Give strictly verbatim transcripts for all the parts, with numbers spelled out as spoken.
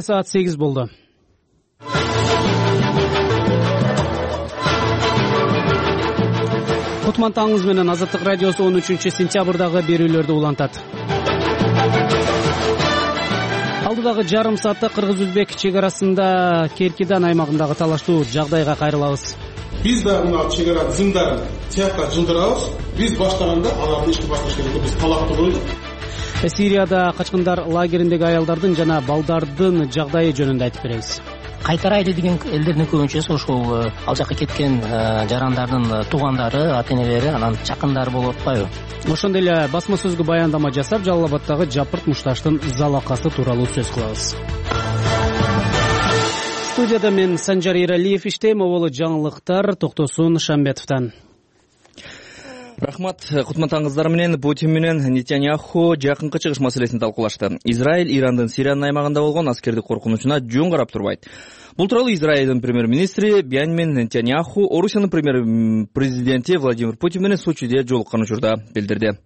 Саат сегиз болду. Кутман таңыңыз менен Азаттык радиосу он үчүнчү сентябрдагы берүүлөрдү улантат. Алдыдагы жарым саатта кыргыз-өзбек чек арасында Керкидан аймагындагы талаштуу жагдайга кайрылабыз. Биз да мына чек ара зымдарын тияка жылдырабыз. Биз баштаганда аларды ишке башташ керек, биз талапты койдук. Сирияда качкындар лагериндеги аялдардын жана балдардын жагдайы жөнүндө айтып беребиз. Кайтарайлы деген элдердин көбүнчөсү ошол ал жака кеткен жарандардын туугандары, ата-энелери, анан жакындары болуп атпайбы? Ошондой эле басма сөзгө баяндама жасап, Жалал Абаддагы Жапырт мушташтын залакасы тууралуу сөз кылабыз. Студияда мен Санжар Эралиев иштейм. Оболу жаңылыктар Токтосун Шамбетовдон. Рахмат. Кутман таңыңыздар менен Путин менен Нетаньяху жакынкы чыгыш маселесин талкуулашты. Израиль Ирандын Сириянын аймагында болгон аскердик коркунучуна жөн карап турбайт. Бул тууралуу Израилдин премьер-министри Беньямин Нетаньяху Орусиянын премьер-президенти Владимир Путин менен Сочиде жолуккан учурда билдирди.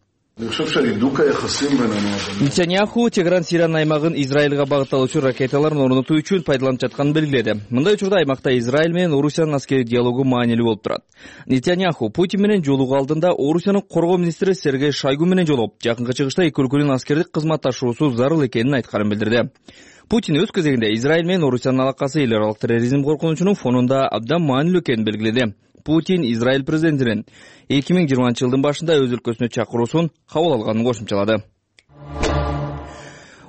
Нетаньяху Тегеран Сириянын аймагын Израилга багытталуучу ракеталарын орнотуу үчүн пайдаланып жатканын белгиледи. Мындай учурда аймакта Израиль менен Орусиянын аскерий диалогу маанилүү болуп турат. Нетаньяху Путин менен жолугуу алдында Орусиянын коргоо министри Сергей Шойгу менен жолугуп, жакынкы чыгышта эки өлкөнүн аскердик кызматташуусу зарыл экенин айтканын билдирди. Путин өз кезегинде Израиль менен Орусиянын алакасы эл аралык терроризм коркунучунун фонунда абдан маанилүү экенин белгиледи. Путин Израиль президентинин эки миң жыйырманчы жылдын башында өз өлкөсүнө чакыруусун кабыл алганын кошумчалады.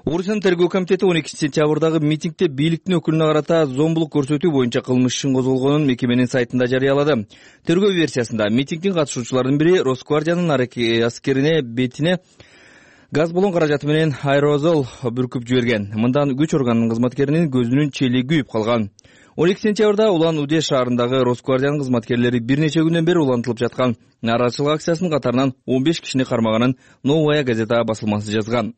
Орусиянын тергөө комитети он экинчи сентябрдагы митингде бийликтин өкүлүнө карата зомбулук көрсөтүү боюнча кылмыш ишин козголгонун мекеменин сайтында жарыялады. Тергөө версиясында митингдин катышуучуларынын бири Росгвардиянын аскерине бетине газ баллон каражаты менен аэрозол бүркүп жиберген. Мындан күч органынын кызматкеринин көзүнүн чели күйүп калган. он экинчи сентябрда Улан-Удэ шаарындагы Росгвардиянын кызматкерлери бир нече күндөн бери улантылып жаткан нааразычылык акциясынын катарынан он беш кишини кармаганын Новая газета басылмасы жазган.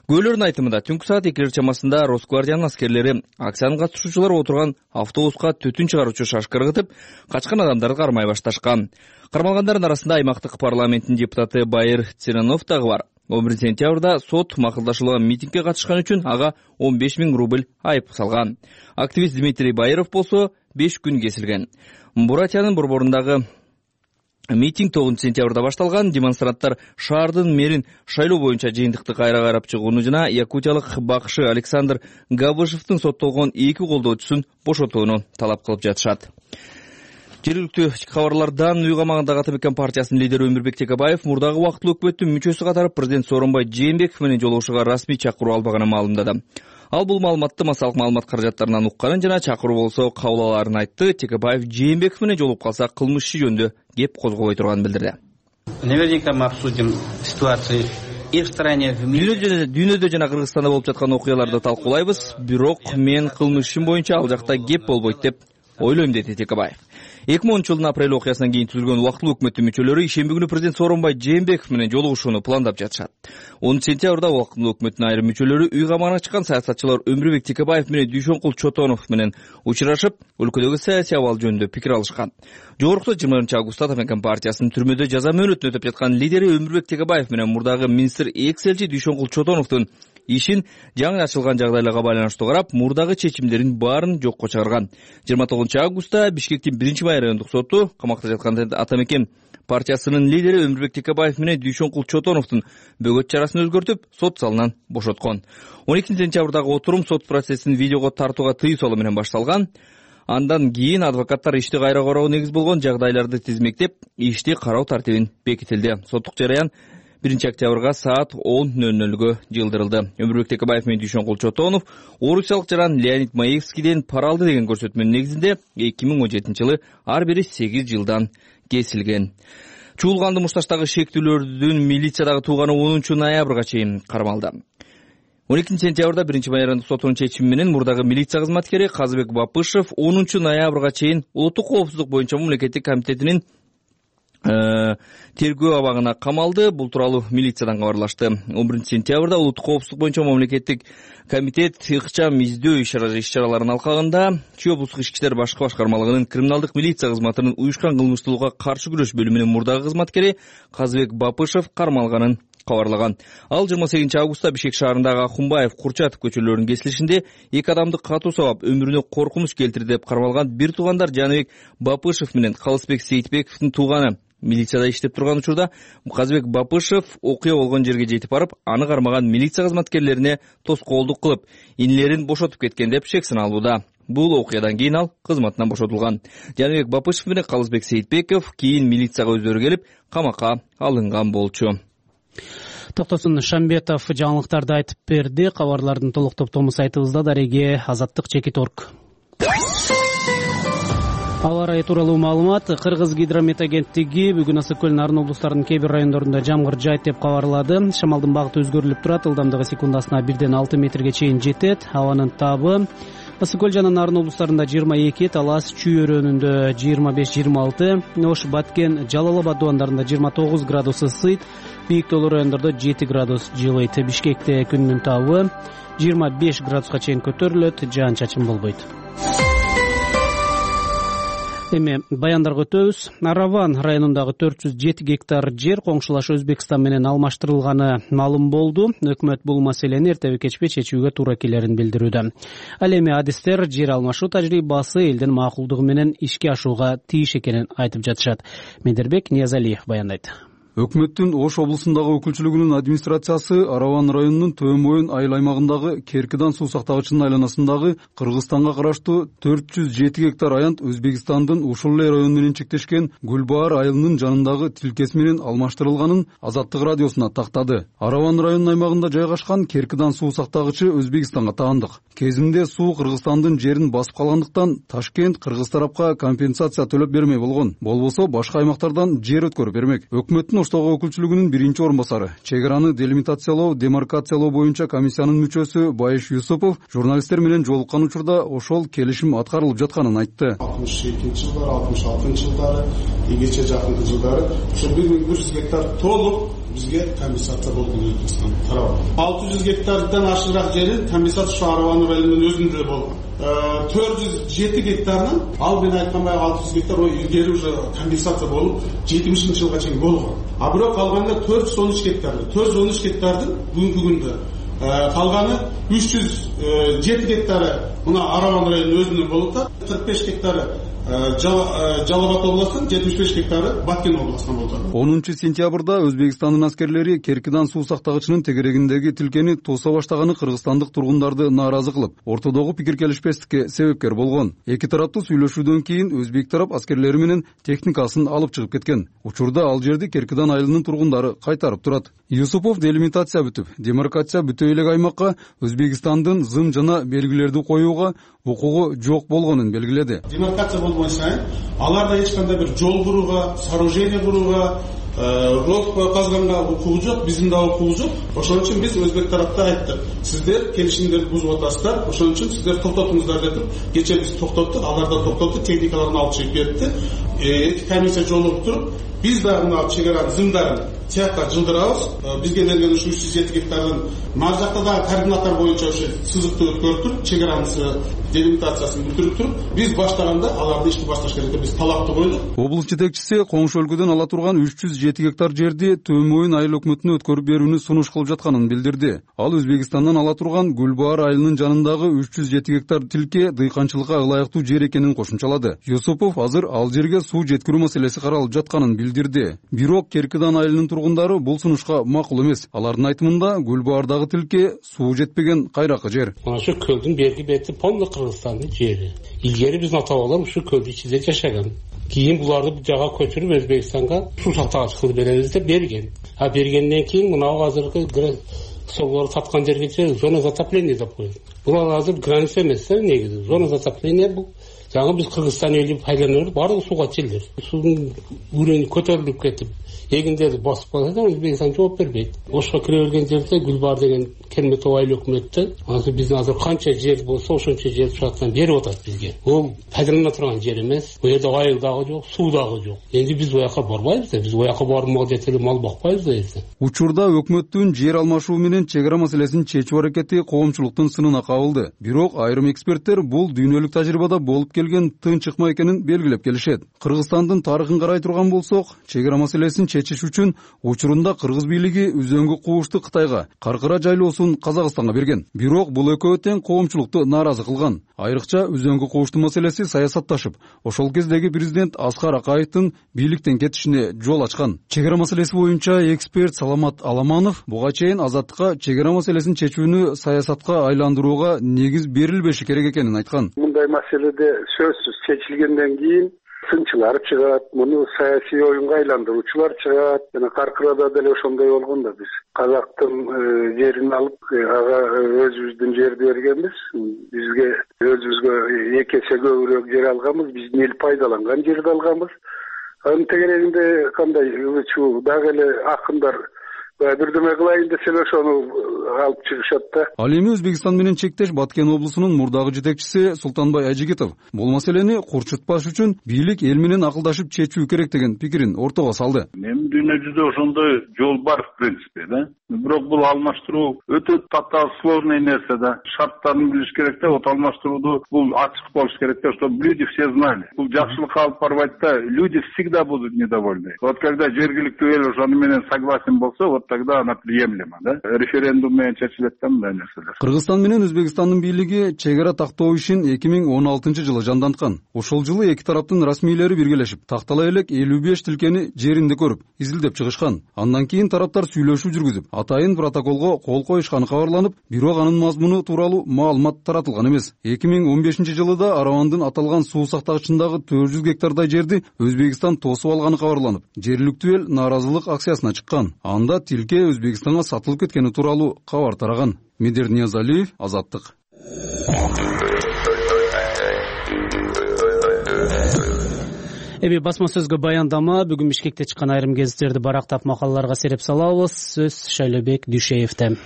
Күбөлөрдүн айтымында түнкү саат экилер чамасында Росгвардиянын аскерлери акциянын катышуучулары отурган автобуска түтүн чыгаруучу шашка ыргытып, качкан адамдарды кармай башташкан. Кармалгандардын арасында аймактык парламенттин депутаты Байыр Церанов дагы бар. он биринчи сентябрда сот макулдашылган митингге катышкан үчүн ага он беш миң рубль айып салган. Активист Дмитрий Байыров болсо беш күн кесилген. Буратиянын борборундагы митинг тогузунчу сентябрда башталган. Демонстранттар шаардын мэрин шайлоо боюнча жыйынтыкты кайра карап чыгууну жана якутиялык бакшы Александр Габышевдин соттолгон эки колдоочусун бошотууну талап кылып жатышат. Жергиликтүү кабарлардан үй камагындагы Ата Мекен партиясынын лидери Өмүрбек Текебаев мурдагы убактылуу өкмөттүн мүчөсү катары президент Сооронбай Жээнбеков менен жолугушууга расмий чакыруу албаганын маалымдады. Ал бул маалыматты массалык маалымат каражаттарынан укканын жана чакыруу болсо кабыл алаарын айтты. Текебаев Жээнбеков менен жолугуп калса кылмыш иши жөнүндө кеп козголбой турганын билдирди. Наверняка мы обсудим ситуацию и в стране, в мире. Дүйнөдө жана Кыргызстанда болуп жаткан окуяларды талкуулайбыз. Бирок мен кылмыш ишим боюнча ал жакта кеп болбойт деп ойлойм, деди Текебаев. эки миң онунчу жылдын апрель окуясынан кийин түзүлгөн убактылуу өкмөттүн мүчөлөрү ишемби күнү президент Сооронбай Жээнбеков менен жолугушууну пландап жатышат. онунчу сентябрда убактылуу өкмөттүн айрым мүчөлөрү үй камагына чыккан саясатчылар Өмүрбек Текебаев менен Дүйшөнкул Чотонов менен учурашып, өлкөдөгү саясий абал жөнүндө пикир алышкан. Жогорку жыйырма биринчи августта Ата Мекен партиясынын түрмөдө жаза мөөнөтүн өтөп жаткан лидери Өмүрбек Текебаев менен мурдагы министр экс элчи Дүйшөнкул Чотоновдун ишин жаңы ачылган жагдайларга байланыштуу карап, мурдагы чечимдерин баарын жокко чыгарган. жыйырма тогузунчу августта Бишкектин биринчи май райондук соту камакта жаткан Ата Мекен партиясынын лидери Өмүрбек Текебаев менен Дүйшөнкул Чотоновдун бөгөт чарасын өзгөртүп, сот залынан бошоткон. он экинчи сентябрдагы отурум сот процессин видеого тартууга тыюу салуу менен башталган. Андан кийин адвокаттар ишти кайра кароого негиз болгон жагдайларды тизмектеп, ишти кароо тартибин бекитилди. Соттук жараян биринчи октябрга саат он ноль нольгө жылдырылды. Өмүрбек Текебаев менен Дүйшөнкул Чотонов орусиялык жаран Леонид Маевскийден пара алды деген көрсөтмөнүн негизинде эки миң он жетинчи жылы ар бири сегиз жылдан кесилген. Чуулганды мушташтагы шектүүлөрдүн милициядагы тууганы онунчу ноябрга чейин кармалды. он экинчи сентябрда биринчи май райондук сотунун чечими менен мурдагы милиция кызматкери Казыбек Бапышев онунчу ноябрга чейин улуттук коопсуздук боюнча мамлекеттик комитетинин тергөө абагына камалды. Бул тууралуу милициядан кабарлашты. он биринчи сентябрда улуттук коопсуздук боюнча мамлекеттик комитет ыкчам издөө иш-чараларынын алкагында Чүй облустук ички иштер башкы башкармалыгынын криминалдык милиция кызматынын уюшкан кылмыштуулукка каршы күрөш бөлүмүнүн мурдагы кызматкери Казыбек Бапышев кармалганын кабарлаган. Ал жыйырма сегизинчи августта Бишкек шаарындагы Акунбаев, Курчатов көчөлөрүнүн кесилишинде эки адамды катуу сабап өмүрүнө коркунуч келтирди деп кармалган бир туугандар Жаныбек Бапышев менен Калысбек Сейитбековдун тууганы. Милицияда иштеп турган учурда Казбек Бапышев окуя болгон жерге жетип барып, аны кармаган милиция кызматкерлерине тоскоолдук кылып, инилерин бошотуп кеткен деп шек сыналууда. Бул окуядан кийин ал кызматынан бошотулган. Жаныбек Бапышев менен Калысбек Сейитбеков кийин милицияга өздөрү келип, камакка алынган болчу. Токтосун Шамбетов жаңылыктарды айтып берди. Кабарлардын толук топтому сайтыбызда. Дареге Азаттык Чекиторг. Аба ырайы тууралуу маалымат. Кыргыз гидромет агенттиги бүгүн Ысык көл Нарын облустарынын кээ бир райондорунда жамгыр жаайт деп кабарлады. Шамалдын багыты өзгөрүлүп турат. Ылдамдыгы секундасына бирден алты метрге чейин жетет. Абанын табы Ысык көл жана Нарын облустарында жыйырма эки, Талас Чүй өрөөнүндө жыйырма беш жыйырма алты, Ош, Баткен, Жалал Абад дубандарында жыйырма тогуз градус ысыйт, бийик тоолуу райондордо жети градус жылыйт. Бишкекте күндүн табы жыйырма беш градуска чейин көтөрүлөт, жаан-чачын болбойт. Эми баяндарга өтөбүз. Араван районундагы төрт жүз жети гектар жер коңшулаш Өзбекстан менен алмаштырылганы маалым болду. Өкмөт бул маселени эртеби кечпи чечүүгө туура келерин билдирүүдө. Ал эми адистер жер алмашуу тажрыйбасы элдин макулдугу менен ишке ашууга тийиш экенин айтып жатышат. Медербек Ниязалиев баяндайт. Өкмөттүн Ош облусундагы өкүлчүлүгүнүн администрациясы Араван районунун Төм Моюн айыл аймагындагы Керкидан суу сактагычынын айланасындагы Кыргызстанга караштуу төрт жүз жети гектар аянт Өзбекстандын ушул эле району менен чектешкен Гүлбаар айылынын жанындагы тилкеси менен алмаштырылганын Азаттык радиосуна тактады. Араван районунун аймагында жайгашкан Керкидан суу сактагычы Өзбекстанга таандык. Кезинде суу Кыргызстандын жерин басып калгандыктан Ташкент кыргыз тарапка компенсация төлөп бермей болгон. Болбосо башка аймактардан жер өткөрүп бермек. Өкмөттүн Оштогу өкүлчүлүгүнүн биринчи орун басары, чек араны делимитациялоо, демаркациялоо боюнча комиссиянын мүчөсү Байыш Юсупов журналисттер менен жолуккан учурда ошол келишим аткарылып жатканын айтты. алтымыш экинчи жылдары, алтымыш алтынчы жылдары, игече жакынкы жылдары ошо бир миң бир жүз гектар толук бизге компенсация болгон Өзбекстан тарабы. алты жүз гектардан ашыгыраак жерин компенсация ушу Араван районунун өзүндө болгон. төрт жүз жети гектарынан ал мен айткан баягы алты жүз гектар илгери уже компенсация болуп жетимишинчи жылга чейин болгон. А бирок калганда төрт жүз он үч гектар. төрт жүз он үч гектардын бүгүнкү күндө калганы үч жүз жети гектары мына Араван районунун өзүндө болуп атат. кырк беш гектары Жалал Абад областынын, жетимиш беш гектары Баткен областынан болду. онунчу сентябрда Өзбекстандын аскерлери Керкидан суу сактагычынын тегерегиндеги тилкени тооса баштаганы кыргызстандык тургундарды нааразы кылып, ортодогу пикир келишпестикке себепкер болгон. Эки тараптуу сүйлөшүүдөн кийин Өзбек тарап аскерлери менен техникасын алып чыгып кеткен. Учурда ал жерди Керкидан айылынын тургундары кайтарып турат. Юсупов делимитация бүтүп, демаркация бүтө элек аймакка Өзбекстандын зым жана белгилерди коюуга укугу жок болгонун белгиледи. Демаркация болбой сайын аларда эч кандай бир жол курууга, сооружение курууга, ров казганга укугу жок, биздин да укугу жок. Ошон үчүн биз Өзбек тарапта айттык. Сиздер келишимдерди бузуп атасыздар. Ошон үчүн сиздер токтотуңуздар деп кече биз токтоттук, алар да токтотду, техникаларын алып чыгып кетти. Эки комиссия жолугуп туруп, биз дагы мына чек аранын зымдарын тияка жылдырабыз. Бизге берилген ушу үч жүз жети гектардын нар жакта дагы координаттар боюнча ушу сызыкты өткөрүп туруп, чек аранын делимитациясын бүтүрүп туруп, биз баштаганда аларды ишти башташ керек деп биз талапты койдук. Облус жетекчиси коңшу өлкөдөн ала турган үч жүз жети гектар жерди Төм Моюн айыл өкмөтүнө өткөрүп берүүнү сунуш кылып жатканын билдирди. Ал Өзбекстандан ала турган Гүлбаар айылынын жанындагы үч жүз жети гектар тилке дыйканчылыкка ылайыктуу жер экенин кошумчалады. Юсупов азыр ал жерге суу жеткирүү маселеси каралып жатканын билдирди. Бирок Керкидан айылынын тургундары бул сунушка макул эмес. Алардын айтымында Гүлбаардагы тилке суу жетпеген кайракы жер. Мына ушу көлдүн берги бети полный Кыргызстандын жери. Илгери биздин ата бабалар ушу көлдүн ичинде жашаган. Кийин буларды бул жага көчүрүп Өзбекстанга суу сактагыч кылып беребиз деп берген. А бергенден кийин мына азыркы соолор саткан жерге зона затопления деп коюлду. Бул азыр граница эмес, негизи. Зона затопления бул жаңы биз Кыргызстан элин пайдаланып баардыгы сууга чилдир. Суунун үрөнү көтөрүлүп кетип, эгиндерди басып калса Өзбекстан жооп бербейт. Ошко кире берген жерде Гүлбаар деген Керметов айыл өкмөттө азыр биздин азыр канча жер болсо ошончо жер шартан берип атат бизге. Бул пайдалана турган жер эмес. Бу жерде айыл дагы жок, суу дагы жок. Энди биз буяка барбайбыз да, биз буяка бармак жетели мал бакпайбыз да эле. Учурда өкмөттүн жер алмашуу менен чек ара маселесин чечүү аракети коомчулуктун сынына кабылды. Бирок айрым эксперттер бул дүйнөлүк тажрыйбада болуп келген тынч ыкма экенин белгилеп келишет. Кыргызстандын тарыхын карай турган болсок, чек ара маселесин чечиш үчүн учурунда кыргыз бийлиги үзөңгү куушту Кытайга, Каркыра жайлоосун Казакстанга берген. Бирок бул экөө тең коомчулукту нааразы кылган. Айрыкча үзөңгү куушту маселеси саясатташып, ошол кездеги президент Аскар Акаевдин бийликтен кетишине жол ачкан. Чек ара маселеси боюнча эксперт Саламат Аламанов буга чейин Азаттыкка чек ара маселесин чечүүнү саясатка айландырууга негиз берилбеши керек экенин айткан. Мындай маселеде сөзсүз чечилгенден кийин сынчылар чыгат, муну саясий оюнга айландыруучулар чыгат. Жана Каркырада деле ошондой болгон да, биз казактын жерин алып, ага өзүбүздүн жерди бергенбиз. Бизге өзүбүзгө эки эсе көбүрөөк жер алганбыз, биздин эл пайдаланган жерди алганбыз. Анын тегерегинде кандай ылычуу дагы эле акындар бирдеме кылайын десе эле ошону алып чыгышат да. Ал эми Өзбекстан менен чектеш Баткен облусунун мурдагы жетекчиси Султанбай Ажигитов бул маселени курчутпаш үчүн бийлик эл менен акылдашып чечүү керек деген пикирин ортого салды. Эми дүйнө жүзүндө ошондой жол бар в принципе да. Бирок бул алмаштыруу өтө татаал сложный нерсе да. Шарттарын билиш керек да, вот алмаштырууду бул ачык болуш керек да, чтобы люди все знали. Бул жакшылыкка алып барбайт да, люди всегда будут недовольны. Вот когда жергиликтүү эл ошону менен согласен болсо, вот тогда она приемлема, да? Референдум менен чечилет да мындай нерселер. Кыргызстан менен Өзбекстандын бийлиги чек ара тактоо ишин эки миң он алтынчы жылы жанданткан. Ошол жылы эки тараптын расмийлери биргелешип, тактала элек элүү беш тилкени жеринде көрүп, изилдеп чыгышкан. Андан кийин тараптар сүйлөшүү жүргүзүп, атайын протоколго кол коюшканы кабарланып, бирок анын мазмуну тууралуу маалымат таратылган эмес. эки миң он бешинчи жылы да Аравандын аталган суу сактагычындагы төрт жүз гектардай жерди Өзбекстан тосуп алганы кабарланып, жергиликтүү эл нааразылык акциясына чыккан. Анда тилке Өзбекстанга сатылып кеткени тууралуу кабар тараган. Медер Ниязалиев, Азаттык. Эми басма сөзгө баяндама бүгүн Бишкекте чыккан айрым гезиттерди барактап макалаларга сереп салабыз. Сөз Шайлебек Дүйшеевде.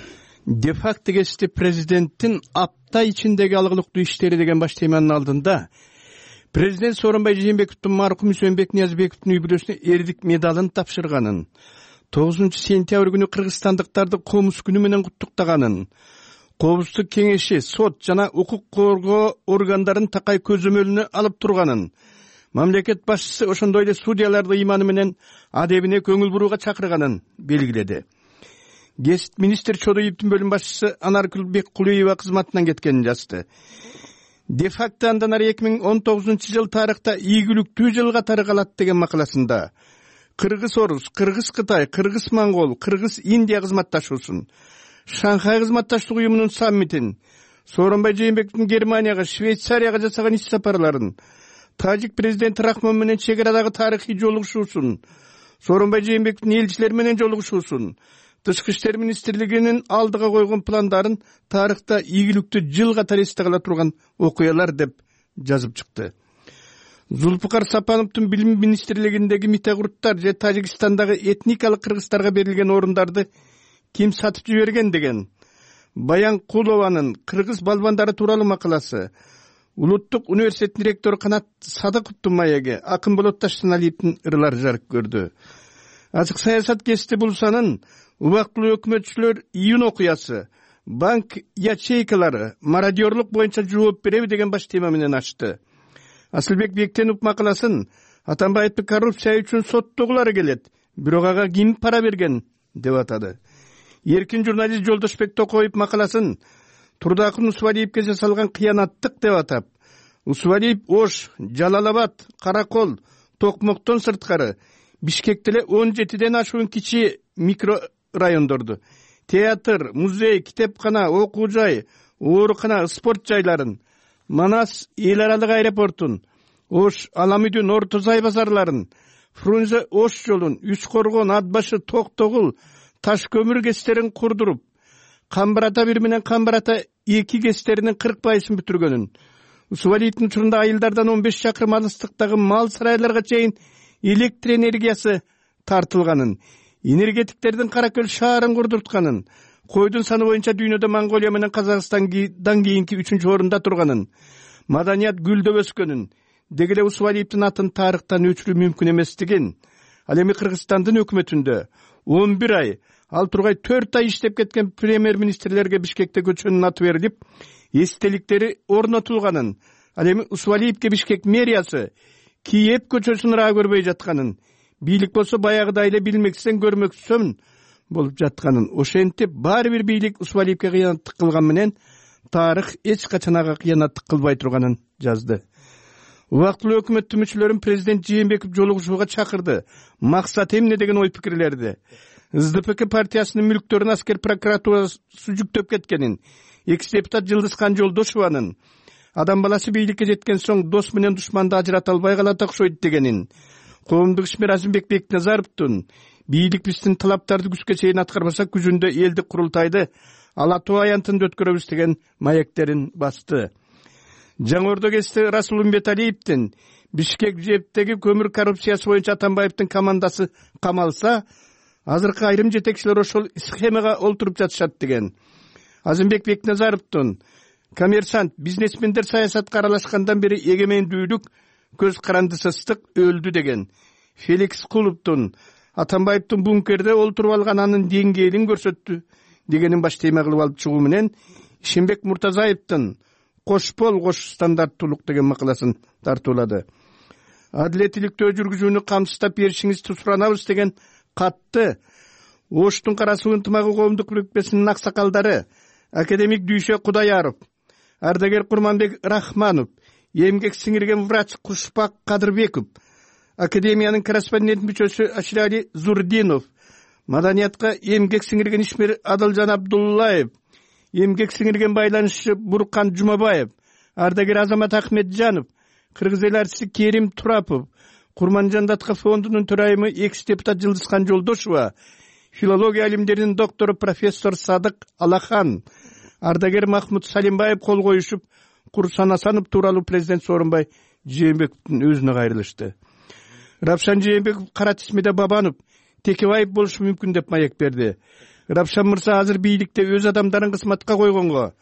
Де факто кесте президенттин апта ичиндеги алгылыктуу иштери деген баш теманын алдында президент Сооронбай Жээнбековдун маркум Үсөнбек Ниязбековдун үй бүлөсүнө эрдик медалын тапшырганын, тогузунчу сентябрь күнү кыргызстандыктарды Комуз күнү менен куттуктаганын, Коопсуздук кеңеши, сот жана укук коргоо органдарын такай көзөмөлүнө алып турганын, мамлекет башчысы ошондой эле судьяларды ыйманы менен адебине көңүл бурууга чакырганын белгиледи. Гезит министр Чодоевдин бөлүм башчысы Анаркүл Беккулуева кызматынан кеткенин жазды. Де факто андан ары эки миң он тогузунчу жыл тарыхта ийгиликтүү жыл катары калат деген макаласында Кыргыз-Орус, Кыргыз-Кытай, Кыргыз-Монгол, Кыргыз-Индия кызматташуусун, Шанхай кызматташтык уюмунун саммитин, Сооронбай Жээнбековдун Германияга, Швейцарияга жасаган иш сапарларын, Тажик президенти Рахмон менен чек арадагы тарыхый жолугушуусун, Сооронбай Жээнбековдун элчилер менен жолугушуусун, Тышкы иштер министрлигинин алдыга койгон пландарын тарыхта ийгиликтүү жыл катары эсте кала турган окуялар деп жазып чыкты. Зулпукар Сапановдун билим министрлигиндеги митегурттар же Тажикстандагы этникалык кыргыздарга берилген орундарды ким сатып жиберген деген Баян Кулованын кыргыз балбандары тууралуу макаласы, Улуттук университеттин ректору Канат Садыковдун маеги, Акын Болот Таштаналиевдин ырлары жарык көрдү. Ачык саясат гезити Булсанын убактылуу өкмөтчүлөр июнь окуясы, банк ячейкалары, мародерлук боюнча жооп береби деген баш тема менен ачты. Асылбек Бектенов макаласын Атамбаевди коррупция үчүн соттогулары келет, бирок ага ким пара берген деп атады. Эркин журналист Жолдошбек Токоев макаласын Турдакын Усвалиевге жасалган кыянаттык деп атап, Усвалиев Ош, Жалалабад, Каракол, Токмоктон сырткары Бишкекте эле он жетиден ашуун кичи микро райондорду, театр, музей, китепкана, окуу жай, оорукана, спорт жайларын, Манас эл аралык аэропортун, Ош Аламүдүн Ортозай базарларын, Фрунзе Ош жолун, Үч Коргон, Атбашы, Токтогул, Таш көмүр кестерин курдуруп, Камбарата бир менен Камбарата эки кестеринин кырк пайызын бүтүргөнүн, Усвалиевдин учурунда айылдардан он беш чакырым алыстыктагы мал сарайларга чейин электр энергиясы тартылганын, энергетиктердин Каракөл шаарын курдуртканын, койдун саны боюнча дүйнөдө Монголия менен Казакстандан кийинки үчүнчү орунда турганын, маданият гүлдөп өскөнүн, деги эле Усвалиевдин атын тарыхтан өчүрүү мүмкүн эместигин, ал эми Кыргызстандын өкмөтүндө он бир ай, ал тургай төрт ай иштеп кеткен премьер-министрлерге Бишкекте көчөнүн аты берилип, эстеликтери орнотулганын, Ал эми Усвалиевке Бишкек мэриясы Киев көчөсүн ыраа көрбөй жатканын, бийлик болсо баягыдай эле билмексен көрмөксөн болуп жатканын, ошентип баары бир бийлик Усвалиевке кыянаттык кылган менен тарых эч качан ага кыянаттык кылбай турганын жазды. Убактылуу өкмөттүн мүчөлөрүн президент Жээнбеков жолугушууга чакырды. Максат эмне деген ой пикирлерди. СДПК партиясынын мүлктөрүн аскер прокуратурасы жүктөп кеткенин, экс депутат Жылдызхан Жолдошованын адам баласы бийликке жеткен соң дос менен душманды ажырата албай калат окшойт дегенин, коомдук ишмер Азимбек Бекназаровдун бийлик биздин талаптарды күзгө чейин аткарбаса күзүндө элдик курултайды ала тоо аянтында өткөрөбүз деген маектерин басты. Жаңы Ордо КСти Расул Умбеталиевдин Бишкек жептеги көмүр коррупциясы боюнча Атамбаевдин командасы камалса, азыркы айрым жетекчилер ошол схемага олтуруп жатышат деген. Азимбек Бекназаровдун коммерсант бизнесмендер саясатка аралашкандан бери эгемендүүлүк көз карандысыздык өлдү деген. Феликс Кулуптун Атамбаевдин бункерде олтуруп алган анын деңгээлин көрсөттү дегенин баш тема кылып алып чыгуу менен Ишенбек Муртазаевдин кош бол кош стандарттуулук деген макаласын тартуулады. Адилеттүүлүктө жүргүзүүнү камсыздап беришиңизди суранабыз деген катты Оштун Карасуу ынтымагы коомдук бирикмесинин аксакалдары академик Дүйшө Кудаяров, ардагер Курманбек Рахманов, эмгек сиңирген врач Кушпак Кадырбеков, академиянын корреспондент мүчөсү Аширали Зурдинов, маданиятка эмгек сиңирген ишмер Адылжан Абдуллаев, эмгек сиңирген байланышчы Буркан Жумабаев, ардагер Азамат Ахметжанов, кыргыз эл артисти Керим Турапов, Курманжан Датка фондунун төрайымы экс депутат Жылдызхан Жолдошова, филология алимдеринин доктору профессор Садык Алахан, ардагер Махмуд Салимбаев кол коюшуп, Курсан Асанов тууралуу президент Сооронбай Жээнбековдун өзүнө кайрылышты. Рапшан Жээнбеков кара тизмеде Бабанов Текебаев болушу мүмкүн деп маек берди. Рапшан мырза азыр бийликте өз адамдарын кызматка койгонго,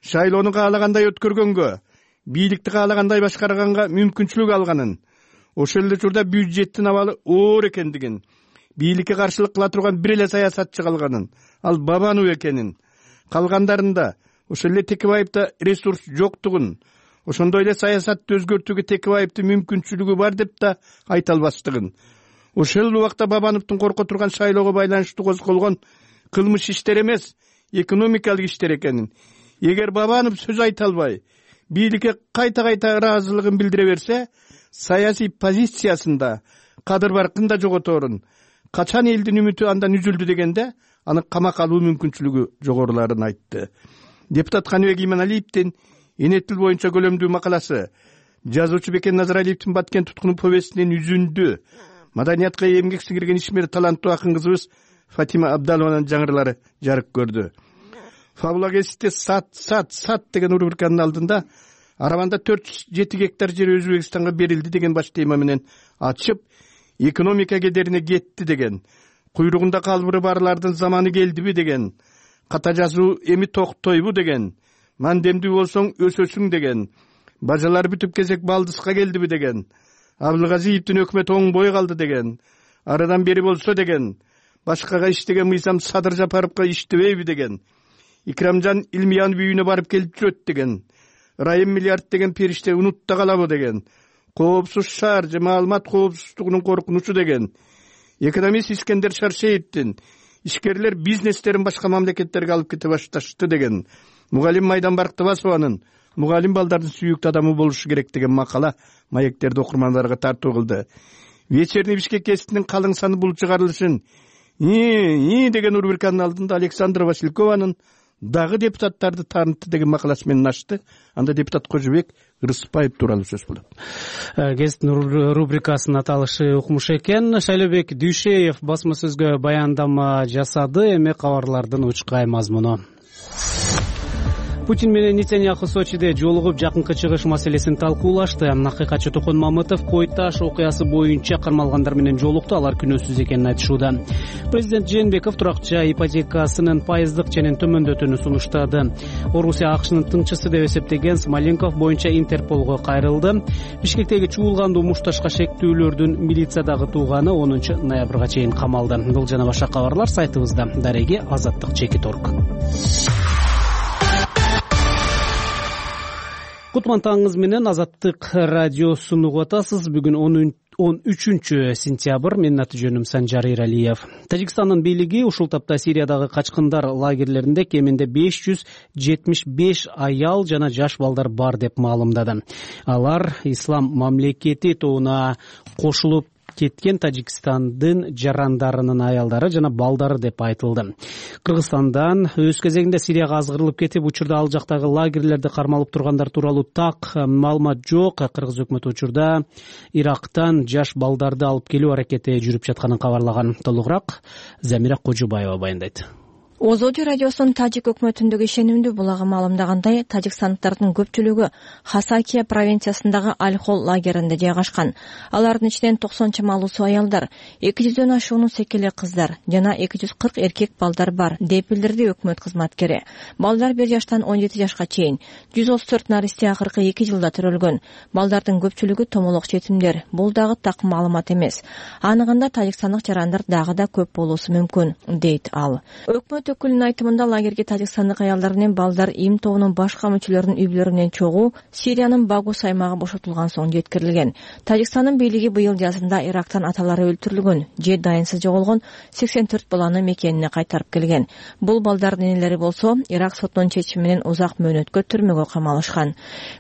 шайлоону каалагандай өткөргөнгө, бийликти каалагандай башкарганга мүмкүнчүлүк алганын, ошол эле учурда бюджеттин абалы оор экендигин, бийликке каршылык кыла турган бир эле саясатчы калганын, ал Бабанов экенин, калгандарында ошол эле Текебаевда ресурс жоктугун, ошондой эле саясатты өзгөртүүгө Текебаевдин мүмкүнчүлүгү бар деп да айта албастыгын, ошол убакта Бабановдун корко турган шайлоого байланыштуу козголгон кылмыш иштер эмес, экономикалык иштер экенин, эгер Бабанов сөз айта албай, бийликке кайта-кайта ыраазылыгын билдире берсе, саясий позициясында кадыр баркын да жоготорун, качан элдин үмүтү андан үзүлдү дегенде аны камак алуу мүмкүнчүлүгү жогоруларын айтты. Депутат Каныбек Иманалиевдин Энет тил боюнча көлөмдүү макаласы, жазуучу Бекен Назаралиевдин Баткен туткуну повестинин үзүндү, маданиятка эмгек сиңирген ишмер таланттуу акын кызыбыз Фатима Абдалованын жаңырылары жарык көрдү. Фабула КСти сат сат сат деген рубриканын алдында Араванда төрт жүз жети гектар жер Өзбекстанга берилди деген баш тема менен ачып, экономика кедерине кетти деген, куйругунда калбыры барлардын заманы келдиби деген, ката жазуу эми токтойбу деген, мандемдүү болсоң өсөсүң деген, бажалар бүтүп кезек балдыска келдиби деген, Абылгазиевдин өкмөтү оңбой калды деген, арадан бери болсо деген, башкага иштеген мыйзам Садыр Жапаровго иштебейби деген, Икрамжан Илмиянов үйүнө барып келип жүрөт деген, Райым миллиард деген периште унутта калабы деген, коопсуз шаар же маалымат коопсуздугунун коркунучу деген, экономист Искендер Шаршеевдин ишкерлер бизнестерин башка мамлекеттерге алып кете башташты деген, мугалим Майдан Барктыбасованын мугалим балдардын сүйүктүү адамы болушу керек деген макала маектерди окурмандарга тартуу кылды. Вечерний Бишкек КСтинин калың саны бул чыгарылышын и деген рубриканын алдында Александра Василькованын дагы депутаттарды таанытты деген макаласы менен ачты. Анда депутат Кожобек Рыспаев тууралуу сөз болот. Кесттин рубрикасынын аталышы укмуш экен. Шайлообек Дүйшеев басма сөзгө баяндама жасады. Эми кабарлардын учкай мазмуну. Путин менен Нетаньяху Сочиде жолугуп жакынкы чыгыш маселесин талкуулашты. Акыйкатчы Токон Мамытов Кой Таш окуясы боюнча кармалгандар менен жолукту, алар күнөөсүз экенин айтышууда. Президент Жээнбеков туракча ипотекасынын пайыздык ченин төмөндөтүүнү сунуштады. Орусия АКШнын тыңчысы деп эсептеген Смоленков боюнча Интерполго кайрылды. Бишкектеги чуулгандуу мушташка шектүүлөрдүн милициядагы тууганы онунчу ноябрга чейин камалды. Бул жана башка кабарлар сайтыбызда. Дареги Азаттык Чекит точка орг. Кутман таңыңыз менен Азаттык радиосун угуп атасыз. Бүгүн он үчүнчү сентябрь. Менин аты жөнүм Санжар Эралиев. Тажикстандын бийлиги ушул тапта Сириядагы качкындар лагерлеринде кеминде беш жүз жетимиш беш аял жана жаш балдар бар деп маалымдады. Алар ислам мамлекети тобуна кошулуп кеткен Тажикстандын жарандарынын аялдары жана балдары деп айтылды. Кыргызстандан өз кезегинде Сирияга азгырылып кетип, учурда ал жактагы лагерлерде кармалып тургандар тууралуу так маалымат жок. Кыргыз өкмөтү учурда Ирактан жаш балдарды алып келүү аракети жүрүп жатканын кабарлаган. Толугураак Замира Кожубаева баяндайт. Озоди радиосунун тажик өкмөтүндөгү ишенимдүү булагы маалымдагандай, тажикстандыктардын көпчүлүгү Хасакия провинциясындагы Аль-Хол лагеринде жайгашкан. Алардын ичинен токсон чамалуусу аялдар, эки жүздөн ашуунун секеле кыздар жана эки жүз кырк эркек балдар бар, деп билдирди өкмөт кызматкери. Балдар бир жаштан он жети жашка чейин, жүз отуз төрт наристе акыркы эки жылда төрөлгөн. Балдардын көпчүлүгү томолок жетимдер. Бул дагы так маалымат эмес. Аныгында тажикстандык жарандар дагы да көп болуусу мүмкүн, дейт ал. Өкмөт өкүлүнүн айтымында лагерге тажикстандык аялдар менен балдар им тобунун башка мүчөлөрүнүн үй-бүлөлөрү менен чогуу Сириянын Багус аймагы бошотулган соң жеткирилген. Тажикстандын бийлиги быйыл жазында Ирактан аталары өлтүрүлгөн же дайынсыз жоголгон сексен төрт баланы мекенине кайтарып келген. Бул балдардын энелери болсо Ирак сотунун чечими менен узак мөөнөткө түрмөгө камалышкан.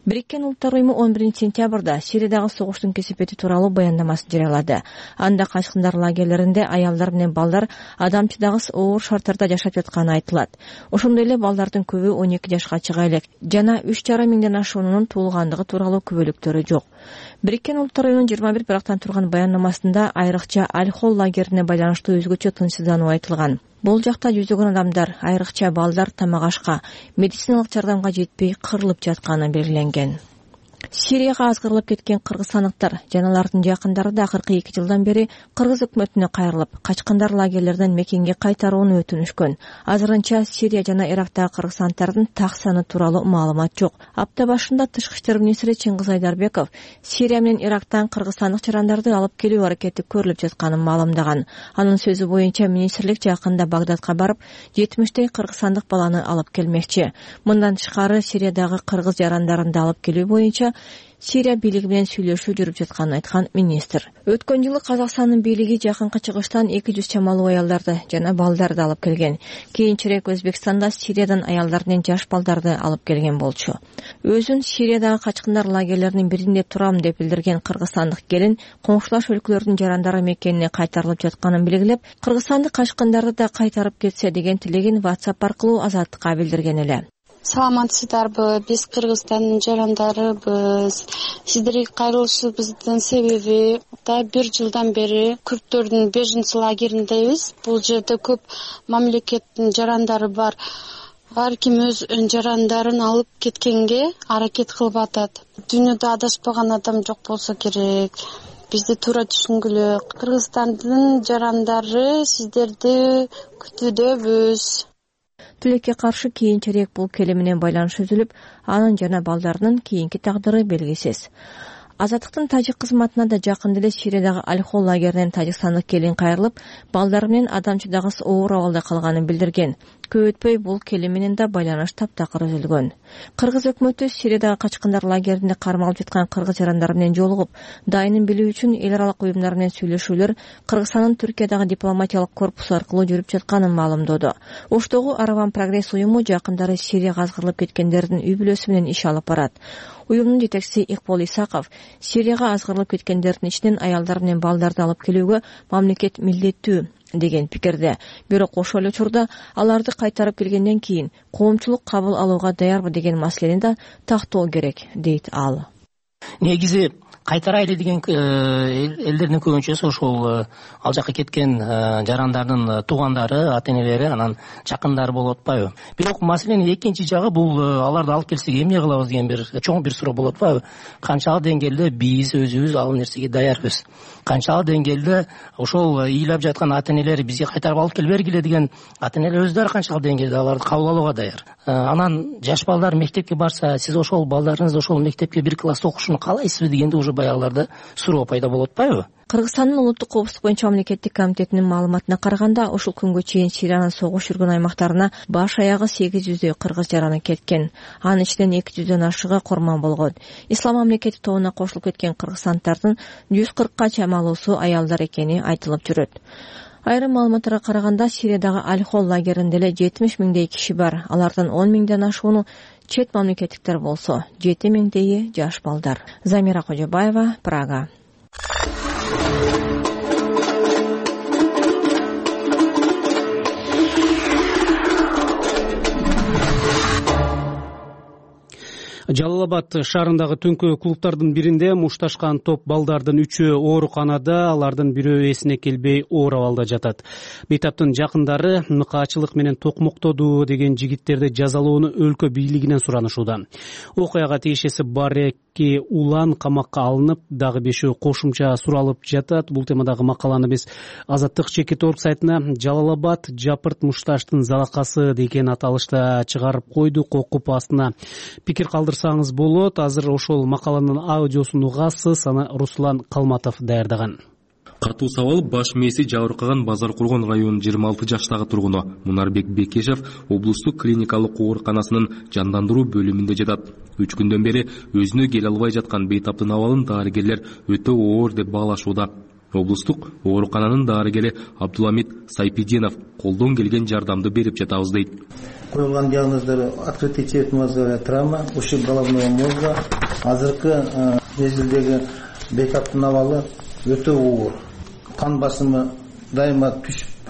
Бириккен Улуттар уюму он биринчи сентябрда Сириядагы согуштун кесепети тууралуу баяндамасын жарыялады. Анда качкындар лагерлеринде аялдар менен балдар адамчыдагыс оор шарттарда жашап жатканы айтылат. Ошондой эле балдардын көбү он эки жашка чыга элек жана үч жарым миңден ашуунун туулгандыгы тууралуу күбөлүктөрү жок. Бириккен Улуттар уюмунун жыйырма бир бирактан турган баяндамасында айрыкча Аль-Хол лагерине байланыштуу өзгөчө тынчсыздануу айтылган. Бул жакта жүздөгөн адамдар, айрыкча балдар тамак ашка, медициналык жардамга жетпей кырылып жатканы белгиленген. Сирияга азгырылып кеткен кыргызстандыктар жана алардын жакындары да акыркы эки жылдан бери кыргыз өкмөтүнө кайрылып, качкындар лагерлерден мекенге кайтарууну өтүнүшкөн. Азырынча Сирия жана Ирактагы кыргызстандыктардын так саны тууралуу маалымат жок. Апта башында тышкы иштер министри Чыңгыз Айдарбеков Сирия менен Ирактан кыргызстандык жарандарды алып келүү аракети көрүлүп жатканын маалымдаган. Анын сөзү боюнча министрлик жакында Багдадка барып, жетимиштей кыргызстандык баланы алып келмекчи. Мындан тышкары Сириядагы кыргыз жарандарын алып келүү боюнча Сирия бийлиги менен сүйлөшүү жүрүп жатканын айткан министр. Өткөн жылы Казакстандын бийлиги жакынкы чыгыштан эки жүз чамалуу аялдарды жана балдарды алып келген. Кийинчерээк Өзбекстанда Сириядан аялдар менен жаш балдарды алып келген болчу. Өзүн Сириядагы качкындар лагерлеринин биринде турам деп билдирген кыргызстандык келин коңшулаш өлкөлөрдүн жарандары мекенине кайтарылып жатканын белгилеп, кыргызстандык качкындарды да кайтарып кетсе деген тилегин WhatsApp аркылуу Азаттыкка билдирген эле. Саламатсыздарбы, биз Кыргызстандын жарандарыбыз. Сиздерге кайрылышыбыздын себеби да бир жылдан бери күрттөрдүн беженцы лагериндебиз. Бул жерде көп мамлекеттин жарандары бар. Ар ким өз жарандарын алып кеткенге аракет кылып атат. Дүйнөдө адаспаган адам жок болсо керек. Бизди туура түшүнгүлө. Кыргызстандын жарандары сиздерди күтүүдөбүз. Тилекке каршы кийинчерээк бул келе менен байланыш үзүлүп, анын жана балдарынын кийинки тагдыры белгисиз. Азаттыктын тажик кызматына да жакында эле Сириядагы Аль-Хол лагеринен тажикстандык келин кайрылып, балдары менен адамчыдагыс оор абалда калганын билдирген. Көп өтпөй бул келе менен да байланыш таптакыр үзүлгөн. Кыргыз өкмөтү Сириядагы качкындар лагеринде кармалып жаткан кыргыз жарандары менен жолугуп, дайынын билүү үчүн эл аралык уюмдар менен сүйлөшүүлөр Кыргызстандын Түркиядагы дипломатиялык корпусу аркылуу жүрүп жатканын маалымдоду. Оштогу Араван прогресс уюму жакындары Сирияга азгырылып кеткендердин үй-бүлөсү менен иш алып барат. Уюмдун жетекчиси Икбол Исаков Сирияга азгырылып кеткендердин ичинен аялдар менен балдарды алып келүүгө мамлекет милдеттүү деген пикирде. Бирок ошол эле учурда аларды кайтарып келгенден кийин коомчулук кабыл алууга даярбы деген маселени да тактоо керек, дейт ал. Негизи кайтарайлы деген элдердин көбүнчөсү ошол ал жака кеткен жарандардын туугандары, ата-энелери, анан жакындары болуп атпайбы? Бирок маселенин экинчи жагы бул аларды алып келсек эмне кылабыз деген бир чоң бир суроо болуп атпайбы? Канчалык деңгээлде биз өзүбүз ал нерсеге даярбыз? Канчалык деңгээлде ошол ыйлап жаткан ата-энелер бизге кайтарып алып келип бергиле деген ата-энелер өздөрү канчалык деңгээлде аларды кабыл алууга даяр? Анан жаш балдар мектепке барса, сиз ошол балдарыңыз ошол мектепке бир класста окушун каалайсызбы дегенде уже баягыларда суроо пайда болуп атпайбы? Кыргызстандын улуттук коопсуздук боюнча мамлекеттик комитетинин маалыматына караганда ушул күнгө чейин Сириянын согуш жүргөн аймактарына баш аягы сегиз жүздөй кыргыз жараны кеткен. Анын ичинен эки жүздөн ашыгы курман болгон. Ислам мамлекети тобуна кошулуп кеткен кыргызстанддардын жүз кыркка чамалуусу аялдар экени айтылып жүрөт. Айрым маалыматтарга караганда Сириядагы Аль-Хол лагеринде эле жетимиш миңдей киши бар. Алардын он миңден ашууну чет мамлекеттиктер болсо, жети миңдейи жаш балдар. Замира Кожобаева, Прага. Жалал Абад шаарындагы түнкү клубтардын биринде мушташкан топ балдардын үчөө ооруканада, алардын бирөө эсине келбей оор абалда жатат. Бейтаптын жакындары мыкаачылык менен токмоктоду деген жигиттерди жазалоону өлкө бийлигинен суранышууда. Окуяга тиешеси бар эки улан камакка алынып, дагы бешөө кошумча суралып жатат. Бул темадагы макаланы биз Азаттык чекит орг сайтына Жалал Абад жапырт мушташтын залакасы деген аталышта чыгарып койдук. Окуп астына пикир калдырсаңыз болот. Азыр ошол макаланын аудиосун угасыз. Аны Руслан Калматов даярдаган. Катуу сабалып баш мээси жабыркаган Базар Кургон районунун жыйырма алты жаштагы тургуну Мунарбек Бекешев облустук клиникалык ооруканасынын жандандыруу бөлүмүндө жатат. Үч күндөн бери өзүнө келе албай жаткан бейтаптын абалын дарыгерлер өтө оор деп баалашууда. Облустук оорукананын дарыгери Абдуламит Сайпиденов колдон келген жардамды берип жатабыз дейт. Коюлган диагноздор открытый черепно-мозговая травма, ушиб головного мозга. Азыркы мезгилдеги бейтаптын абалы өтө оор. Кан басымы дайыма түшүп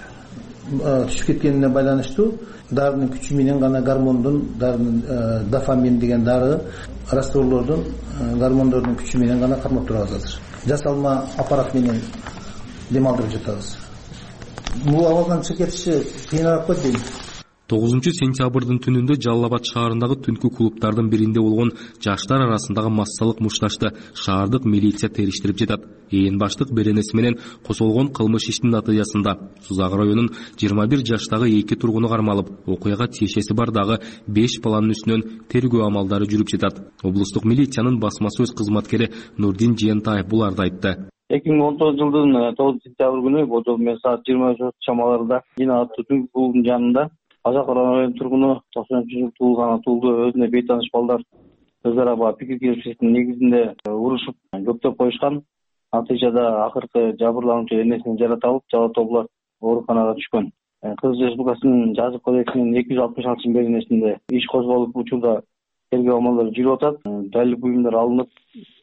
түшүп кеткенине байланыштуу дарынын күчү менен гана гормондун дарынын дофамин деген дары растворлордун гормондордун күчү менен гана кармап турабыз азыр. Жасалма аппарат менен дем алдырып жатабыз. Бул абалдан чыгып кетиши кыйыныраак го дейм. тогузунчу сентябрдын түнүндө Жалал Абад шаарындагы түнкү клубтардын биринде болгон жаштар арасындагы массалык мушташты шаардык милиция териштирип жатат. Ээн баштык беренеси менен козголгон кылмыш иштин натыйжасында Сузак районунун жыйырма бир жаштагы эки тургуну кармалып, окуяга тиешеси бар дагы беш баланын үстүнөн тергөө амалдары жүрүп жатат. Облустук милициянын басма сөз кызматкери Нурдин Жыентаев буларды айтты. эки миң он тогузунчу жылдын тогузунчу сентябрь күнү болжол менен саат жыйырма үч чамаларында Дина аттуу түнкү клубунун жанында Азак районунун тургуну токсон үчүнчү жылы туулган туулду өзүнө бейтаныш балдар өз ара баягы пикир келишимдин негизинде урушуп көктөп коюшкан. Натыйжада акыркы жабырлануучу энесин жарата алып, жалатоо булар ооруканага түшкөн. Кыргыз Республикасынын жазык кодексинин эки жүз алтымыш алтынчы беренесинде иш козголуп, учурда тергөө амалдары жүрүп атат. Далил буюмдар алынып,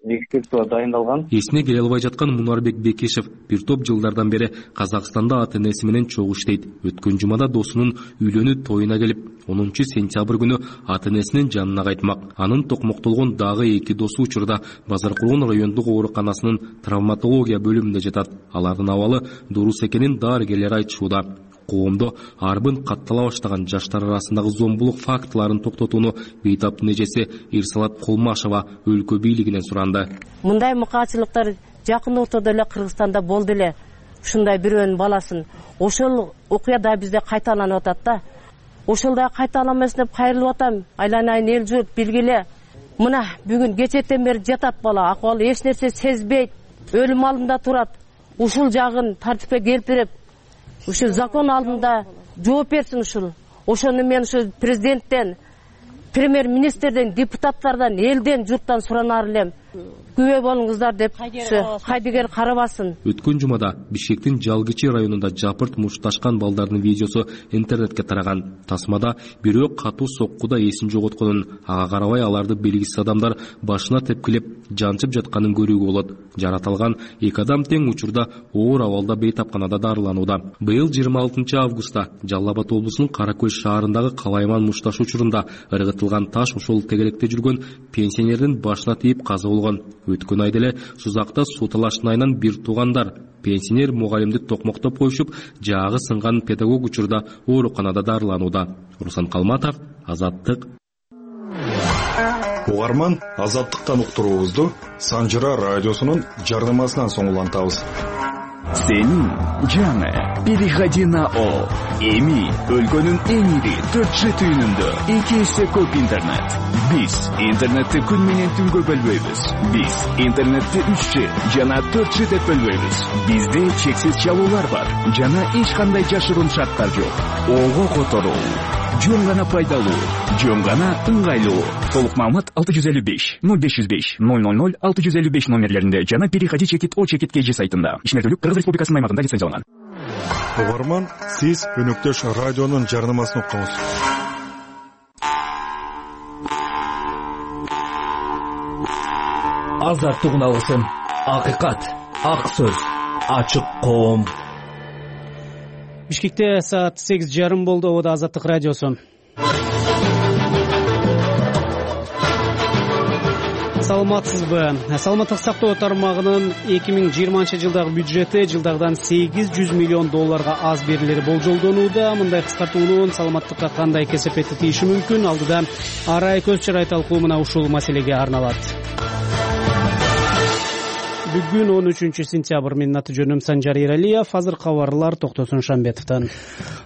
экспертиза дайындалган. Эсине келе албай жаткан Мунарбек Бекешев бир топ жылдардан бери Казакстанда ата-энеси менен чогуу иштейт. Өткөн жумада досунун үйлөнүү тоюна келип, онунчу сентябрь күнү ата-энесинин жанына кайтмак. Анын токмоктолгон дагы эки досу учурда Базар Кургон райондук ооруканасынын травматология бөлүмүндө жатат. Алардын абалы дурус экенин дарыгерлер айтышууда. Коомдо арбын каттала баштаган жаштар арасындагы зомбулук фактыларын токтотууну бейтаптын эжеси Ирсалат Колмашева өлкө бийлигинен суранды. Мындай мыкаачылыктар жакын ортодо эле Кыргызстанда болду эле. Ушундай бирөөнүн баласын ошол окуя да бизде кайталанып атат да. Ошол да кайталамасын деп кайрылып атам. Айланайын эл журт билгиле. Мына бүгүн кечетен бери жатат бала, акыбалы эч нерсе сезбейт, өлүм алдында турат. Ушул жагын тартипке келтирип, ушул закон алдында жооп берсин ушул. Ошону мен ушу президенттен, премьер-министрден, депутаттардан, элден, журттан суранар элем. Күбө болуңуздар деп кайдыгер карабасын. Өткөн жумада Бишкектин Жалгычы районунда жапырт мушташкан балдардын видеосу интернетке тараган. Тасмада бирөө катуу соккуда эсин жоготконун, ага карабай аларды белгисиз адамдар башына тепкилеп, жанчып жатканын көрүүгө болот. Жаратылган эки адам тең учурда оор абалда бейтапканада дарыланууда. Быйыл жыйырма алтынчы августта Жалал Абад облусунун Кара Көз шаарындагы Калайман мушташ учурунда ыргытылган таш ошол тегелекте жүргөн пенсионердин башына тийип каза болгон. Өткөн айда эле Сузакта суу талаштын айынан бир туугандар пенсионер мугалимди токмоктоп коюшуп, жаагы сынган педагог учурда ооруканада дарыланууда. Руслан Калматов, Азаттык. Угарман, Азаттыктан уктуруубузду Санжыра радиосунун жардамасынан соң улантабыз. Сенин жаңы переходи на О. Эми өлкөнүн эң ири төрт Ж түйүнүндө эки эсе көп интернет. Биз интернетти күн менен түнгө бөлбөйбүз. Биз интернетти үч Ж жана төрт Ж деп бөлбөйбүз. Бизде чексиз чалуулар бар жана эч кандай жашыруун шарттар жок. Ого которуу жөн гана пайдалуу, жөн гана ыңгайлуу. Толук маалымат алты жүз элүү беш ноль беш жүз беш ноль ноль ноль алты жүз элүү беш номерлеринде жана переходи чекит О чекит КЖ сайтында. Ишмердүүлүк Кыргыз Республикасынын аймагында лицензияланган. Угарман, сиз Өнөктөш радионун жарнамасын укуңуз. Азат тугуналысын, акыйкат, ак сөз, ачык коом. Бишкекте саат сегиз жарым болду. Обода Азаттык радиосу. Саламатсызбы? Саламаттык сактоо тармагынын эки миң жыйырманчы жылдагы бюджети жылдагыдан сегиз жүз миллион долларга аз берилери болжолдонууда. Мындай кыскартуунун саламаттыкка кандай кесепети тийиши мүмкүн? Алдыда арай көз чырай талкуу мына ушул маселеге арналат. Бүгүн он үчүнчү сентябрь. Менин аты жөнүм Санжар Эралиев. Азыр кабарлар Токтосун Шамбетовдон.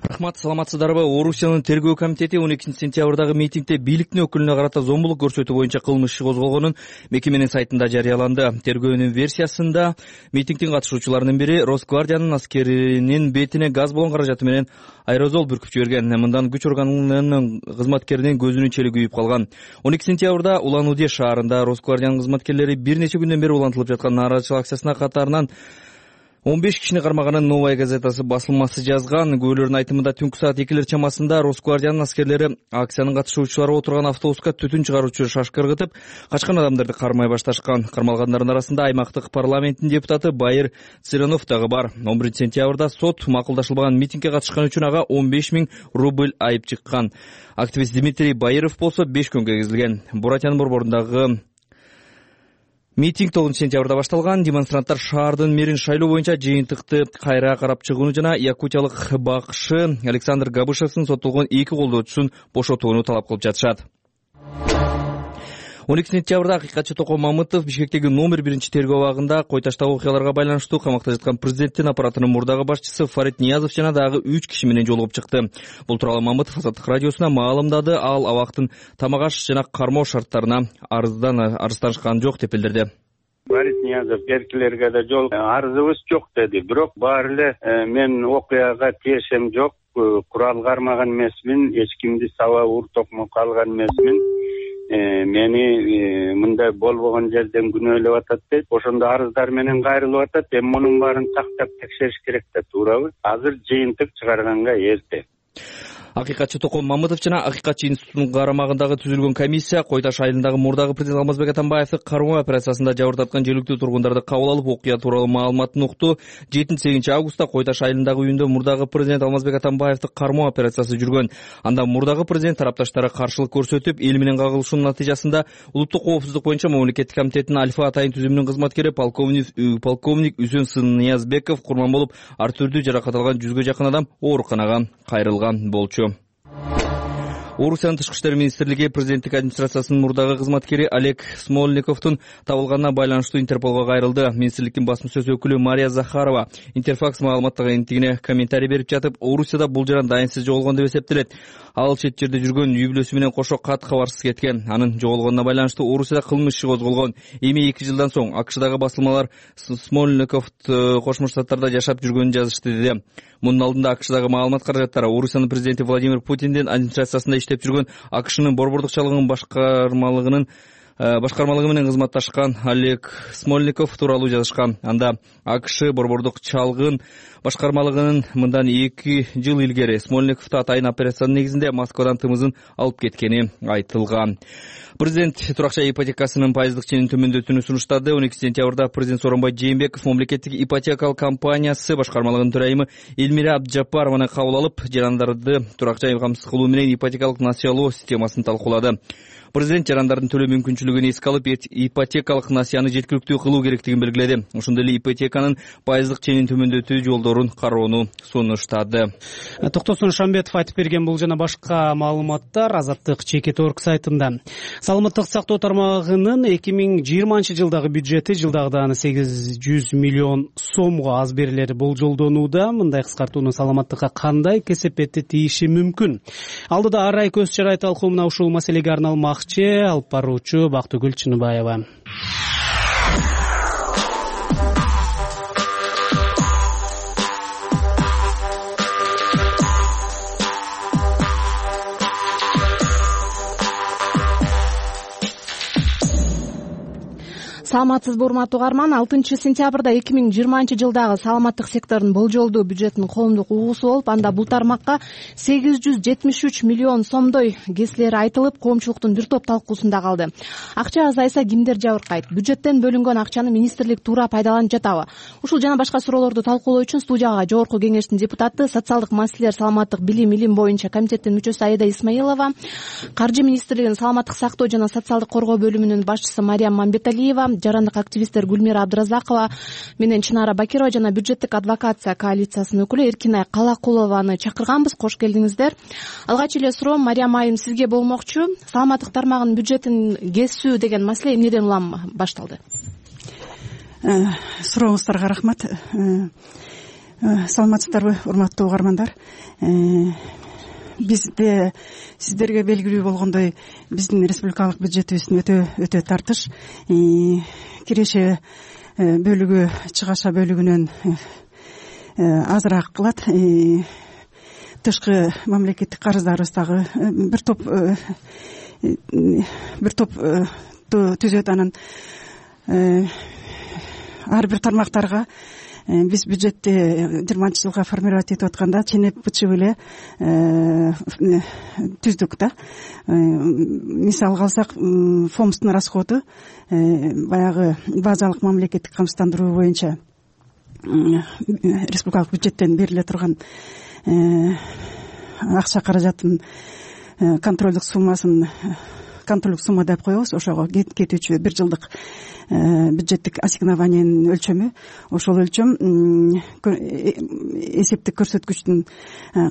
Рахмат, саламатсыздарбы? Орусиянын тергөө комитети он экинчи сентябрдагы митингде бийликтин өкүлүнө карата зомбулук көрсөтүү боюнча кылмыш иши козголгонун мекеменин сайтында жарыяланды. Тергөөнүн версиясында митингдин катышуучуларынын бири Росквардиянын аскеринин бетине газ болгон каражаты менен аэрозол бүркүп жиберген. Мындан күч органынын кызматкеринин көзүнүн чели күйүп калган. он экинчи сентябрда Улан-Удэ шаарында Росквардиянын кызматкерлери бир нече күндөн бери улантылып жаткан нааразычылык акциясына катарынан он беш кишини кармаганын Новая газетасы басылмасы жазган. Күбөлөрдүн айтымында түнкү саат экилер чамасында Росквардиянын аскерлери акциянын катышуучулары отурган автобуска түтүн чыгаруучу шашка ыргытып, качкан адамдарды кармай башташкан. Кармалгандардын арасында аймактык парламенттин депутаты Байыр Цыранов дагы бар. он биринчи сентябрда сот макулдашылбаган митингге катышкан үчүн ага он беш миң рубль айып чыккан. Активист Дмитрий Байыров болсо беш күнгө кезилген. Буратянын борборундагы митинг тогузунчу сентябрда башталган. Демонстранттар шаардын мэрин шайлоо боюнча жыйынтыкты кайра карап чыгууну жана якутиялык бакшы Александр Габышевдин соттолгон эки колдоочусун бошотууну талап кылып жатышат. он экинчи сентябрда акыйкатчы Током Мамытов Бишкектеги номер биринчи тергөө абагында кой таштагы окуяларга байланыштуу камакта жаткан президенттин аппаратынын мурдагы башчысы Фарид Ниязов жана дагы үч киши менен жолугуп чыкты. Бул тууралуу Мамытов Азаттык радиосуна маалымдады. Ал абактын тамак аш жана кармоо шарттарына арыздан арызданышкан жок деп билдирди. Фарид Ниязов эркилерге да жол арызыбыз жок деди. Бирок баары эле мен окуяга тиешем жок, курал кармаган эмесмин, эч кимди саба ур токмокко алган эмесмин. Мени мындай болбогон жерден күнөөлөп атат дейт. Ошондо арыздар менен кайрылып атат. Эми мунун баарын тактап текшериш керек да, туурабы? Азыр жыйынтык чыгарганга эрте. Акыйкатчы Током Мамытов жана Акыйкатчы институтунун карамагындагы түзүлгөн комиссия Кой Таш айылындагы мурдагы президент Алмазбек Атамбаевди кармоо операциясында жабырдаткан жергиликтүү тургундарды кабыл алып, окуя тууралуу маалыматын укту. жетинчи сегизинчи августта Кой Таш айылындагы үйүндө мурдагы президент Алмазбек Атамбаевди кармоо операциясы жүргөн. Анда мурдагы президент тарапташтары каршылык көрсөтүп, эл менен кагылышуунун натыйжасында Улуттук коопсуздук боюнча мамлекеттик комитеттин Альфа атайын түзүмүнүн кызматкери полковник полковник Үсөн Сынниязбеков курман болуп, ар түрдүү жаракат алган жүзгө жакын адам ооруканага кайрылган болчу. Орусиянын тышкы иштер министрлиги президенттик администрациясынын мурдагы кызматкери Олег Смольниковдун табылганына байланыштуу Интерполго кайрылды. Министрликтин басма сөз өкүлү Мария Захарова Интерфакс маалыматтык агенттигине комментарий берип жатып, Орусияда бул жаран дайынсыз жоголгон деп эсептелет. Ал чет жерде жүргөн үй бүлөсү менен кошо кат кабарсыз кеткен. Анын жоголгонуна байланыштуу Орусияда кылмыш иши козголгон. Эми эки жылдан соң АКШдагы басылмалар Смольниковду Кошмо Штаттарда жашап жүргөнүн жазышты деди. Мунун алдында АКШдагы маалымат каражаттары Орусиянын президенти Владимир Путиндин администрациясында иштеп жүргөн АКШнын борбордук чалыгынын башкармалыгынын башкармалыгы менен кызматташкан Олег Смольников тууралуу жазышкан. Анда АКШ борбордук чалгын башкармалыгынын мындан эки жыл илгери Смольниковду атайын операциянын негизинде Москвадан тымызын алып кеткени айтылган. Президент туракча ипотекасынын пайыздык ченин төмөндөтүүнү сунуштады. он экинчи сентябрда президент Сооронбай Жээнбеков мамлекеттик ипотекалык компаниясы башкармалыгынын төрайымы Элмира Абджапарованы кабыл алып, жарандарды туракча камсыз кылуу менен ипотекалык насыялоо системасын талкуулады. Президент жарандардын төлөө мүмкүнчүлүгүн эске алып, ипотекалык насыяны жеткиликтүү кылуу керектигин белгиледи. Ошондой эле ипотеканын пайыздык ченин төмөндөтүү жолдорун кароону сунуштады. Токтосун Шамбетов айтып берген бул жана башка маалыматтар Азаттык Чекет орг сайтында. Саламаттык сактоо тармагынын эки миң жыйырманчы жылдагы бюджети жылдагыдан сегиз жүз миллион сомго аз берилери болжолдонууда. Мындай кыскартууну саламаттыкка кандай кесепетти тийиши мүмкүн? Алдыда арай көз чарай талкуумуна ушул маселеге арналмакчы. Алып баруучу Бактыгүл Чыныбаева. Саламатсызбы урматтуу угарман, алтынчы сентябрда эки миң жыйырманчы жылдагы саламаттык сектордун болжолдуу бюджетинин коомдук угуусу болуп, анда бул тармакка сегиз жүз жетимиш үч миллион сомдой кесилери айтылып, коомчулуктун бир топ талкуусунда калды. Акча азайса кимдер жабыркайт? Бюджеттен бөлүнгөн акчаны министрлик туура пайдаланып жатабы? Ушул жана башка суроолорду талкуулоо үчүн студияга Жогорку Кеңештин депутаты, социалдык маселелер, саламаттык билим илим боюнча комитеттин мүчөсү Аида Исмаилова, Каржы министрлигинин саламаттык сактоо жана социалдык коргоо бөлүмүнүн башчысы Мариям Мамбеталиева, жарандык активисттер Гүлмира Абдыразакова менен Чынара Бакирова жана бюджеттик адвокация коалициясынын өкүлү Эркинай Калакулованы чакырганбыз. Кош келдиңиздер. Алгач эле суроом Мариям айым сизге болмокчу. Саламаттык тармагынын бюджетин кесүү деген маселе эмнеден улам башталды? Сурооңуздарга рахмат. Саламатсыздарбы, урматтуу угармандар? Бизде сиздерге белгилүү болгондой биздин республикалык бюджетибиздин өтө өтө тартыш. Киреше бөлүгү чыгаша бөлүгүнөн азыраак кылат. Тышкы мамлекеттик карыздарыбыз дагы бир топ бир топ түзөт. Анан ар бир тармактарга биз бюджетти жыйырманчы жылга формировать этип атканда ченеп бычып эле түздүк да. Мисалга алсак, фомстун расходу баягы базалык мамлекеттик камсыздандыруу боюнча республикалык бюджеттен бериле турган акча каражатын контролдук суммасын контролдук сумма деп коебуз. Ошого кетүүчү бир жылдык бюджеттик ассигнованиянын өлчөмү, ошол өлчөм эсептик көрсөткүчтүн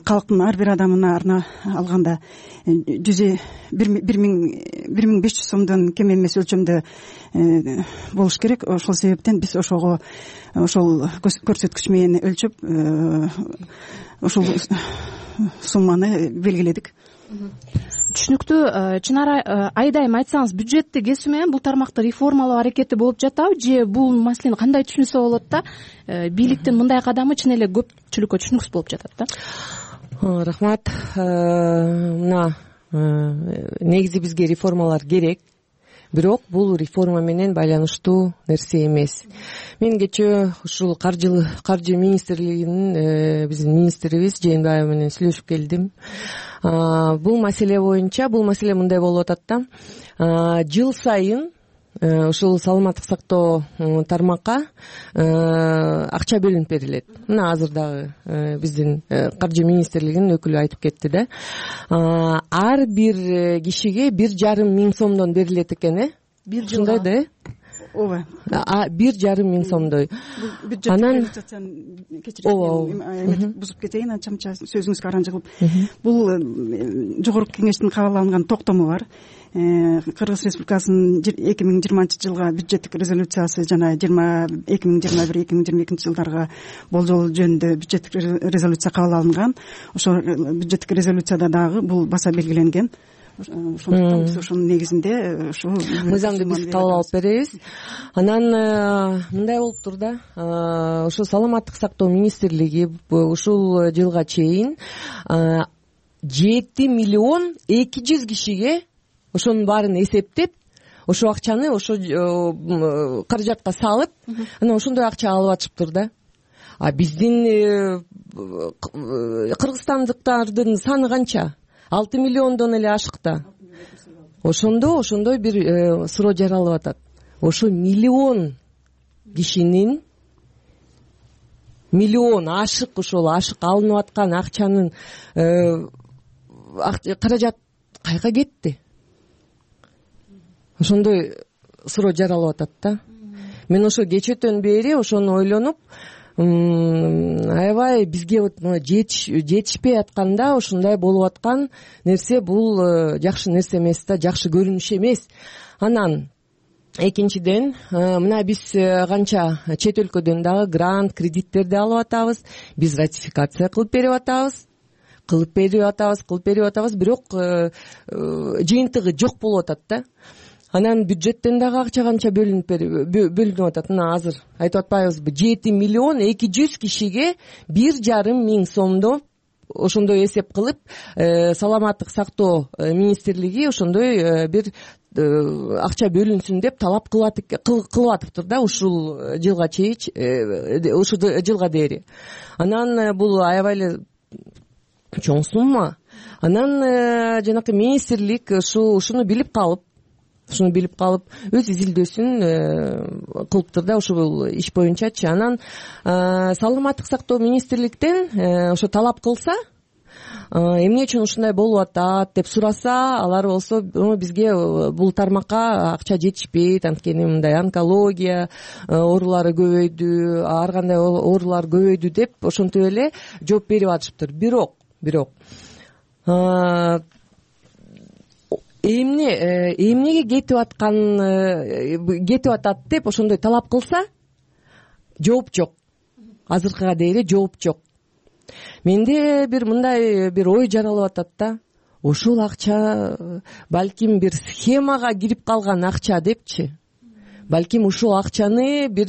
калктын ар бир адамына арна алганда жүз бир миң беш жүз сомдон кем эмес өлчөмдө болуш керек. Ошол себептен биз ошого ошол көрсөткүч менен өлчөп ошол сумманы белгиледик. Түшүнүктүү. Чынара Айдайым, айтсаңыз, бюджетти кесүү менен бул тармакты реформалоо аракети болуп жатабы, же бул маселени кандай түшүнсө болот да? Бийликтин мындай кадамы чын эле көпчүлүккө түшүнүксүз болуп жатат да? Рахмат. Мына, негизи бизге реформалар керек, бирок бул реформа менен байланыштуу нерсе эмес. Мен кечээ ушул каржы каржы министрлигинин биздин министрибиз Жээнбаева менен сүйлөшүп келдим. Бул маселе боюнча, бул маселе мындай болуп атат да. Жыл сайын ушул саламаттык сактоо тармакка акча бөлүнүп берилет. Мына азыр дагы биздин каржы министрлигинин өкүлү айтып кетти да. Ар бир кишиге бир жарым миң сомдон берилет экен, э? Бир жылдай да, э? Ооба. Бир жарым миң сомдой. Анан кечирим, бузуп кетейин, анча-мынча сөзүңүзгө араң жыгылып. Бул жогорку кеңештин кабыл алынган токтому бар. Кыргыз Республикасынын эки миң жыйырманчы жылга бюджеттик резолюциясы жана эки миң жыйырма бир эки миң жыйырма экинчи жылдарга болжол жөнүндө бюджеттик резолюция кабыл алынган. Ошол бюджеттик резолюцияда дагы бул баса белгиленген. Ошондуктан биз ошонун негизинде ушу мыйзамды биз кабыл алып беребиз. Анан мындай болуптур да, ошо саламаттык сактоо министрлиги ушул жылга чейин жети миллион эки жүз кишиге ошонун баарын эсептеп, ошо акчаны ошо каражатка салып, анан ошондой акча алып атышыптыр да. А биздин кыргызстандыктардын саны канча? алты миллиондон эле ашык да. Ошондо ошондой бир суроо жаралып атат. Ошо миллион кишинин миллион ашык ошол ашык алынып аткан акчанын каражат кайга кетти? ошондой суроо жаралып атат да. Мен ошо кечээден бери ошону ойлонуп, аябай бизге вот жетишпей атканда ушундай болуп аткан нерсе бул жакшы нерсе эмес да, жакшы көрүнүш эмес. Анан экинчиден, мына биз канча чет өлкөдөн дагы грант, кредиттерди алып атабыз, биз ратификация кылып берип атабыз, кылып берип атабыз, кылып берип атабыз, бирок жыйынтыгы жок болуп атат да. Анан бюджеттен дагы акча канча бөлүнүп бөлүнүп атат. Мына азыр айтып атпайбызбы, жети миллион эки жүз кишиге бир жарым миң сомдо ошондой эсеп кылып, саламаттык сактоо министрлиги ошондой бир акча бөлүнсүн деп талап кылып атыптыр да ушул жылга чейин, ушул жылга дээри. Анан бул аябай эле чоң сумма. Анан жанакы министрлик ушуну билип калып, ушуну билип калып өз изилдөөсүн кылыптыр да ушул иш боюнчачы. Анан саламаттык сактоо министрликтен ошо талап кылса, эмне үчүн ушундай болуп атат деп сураса, алар болсо бизге бул тармакка акча жетишпейт, анткени мындай онкология оорулары көбөйдү, ар кандай оорулар көбөйдү деп ошентип эле жооп берип атышыптыр. Бирок, бирок эмне эмнеге кетип аткан кетип атат деп ошондой талап кылса, жооп жок. Азыркыга дейин жооп жок. Менде бир мындай бир ой жаралып атат да. Ошол акча балким бир схемага кирип калган акча депчи. Балким ушул акчаны бир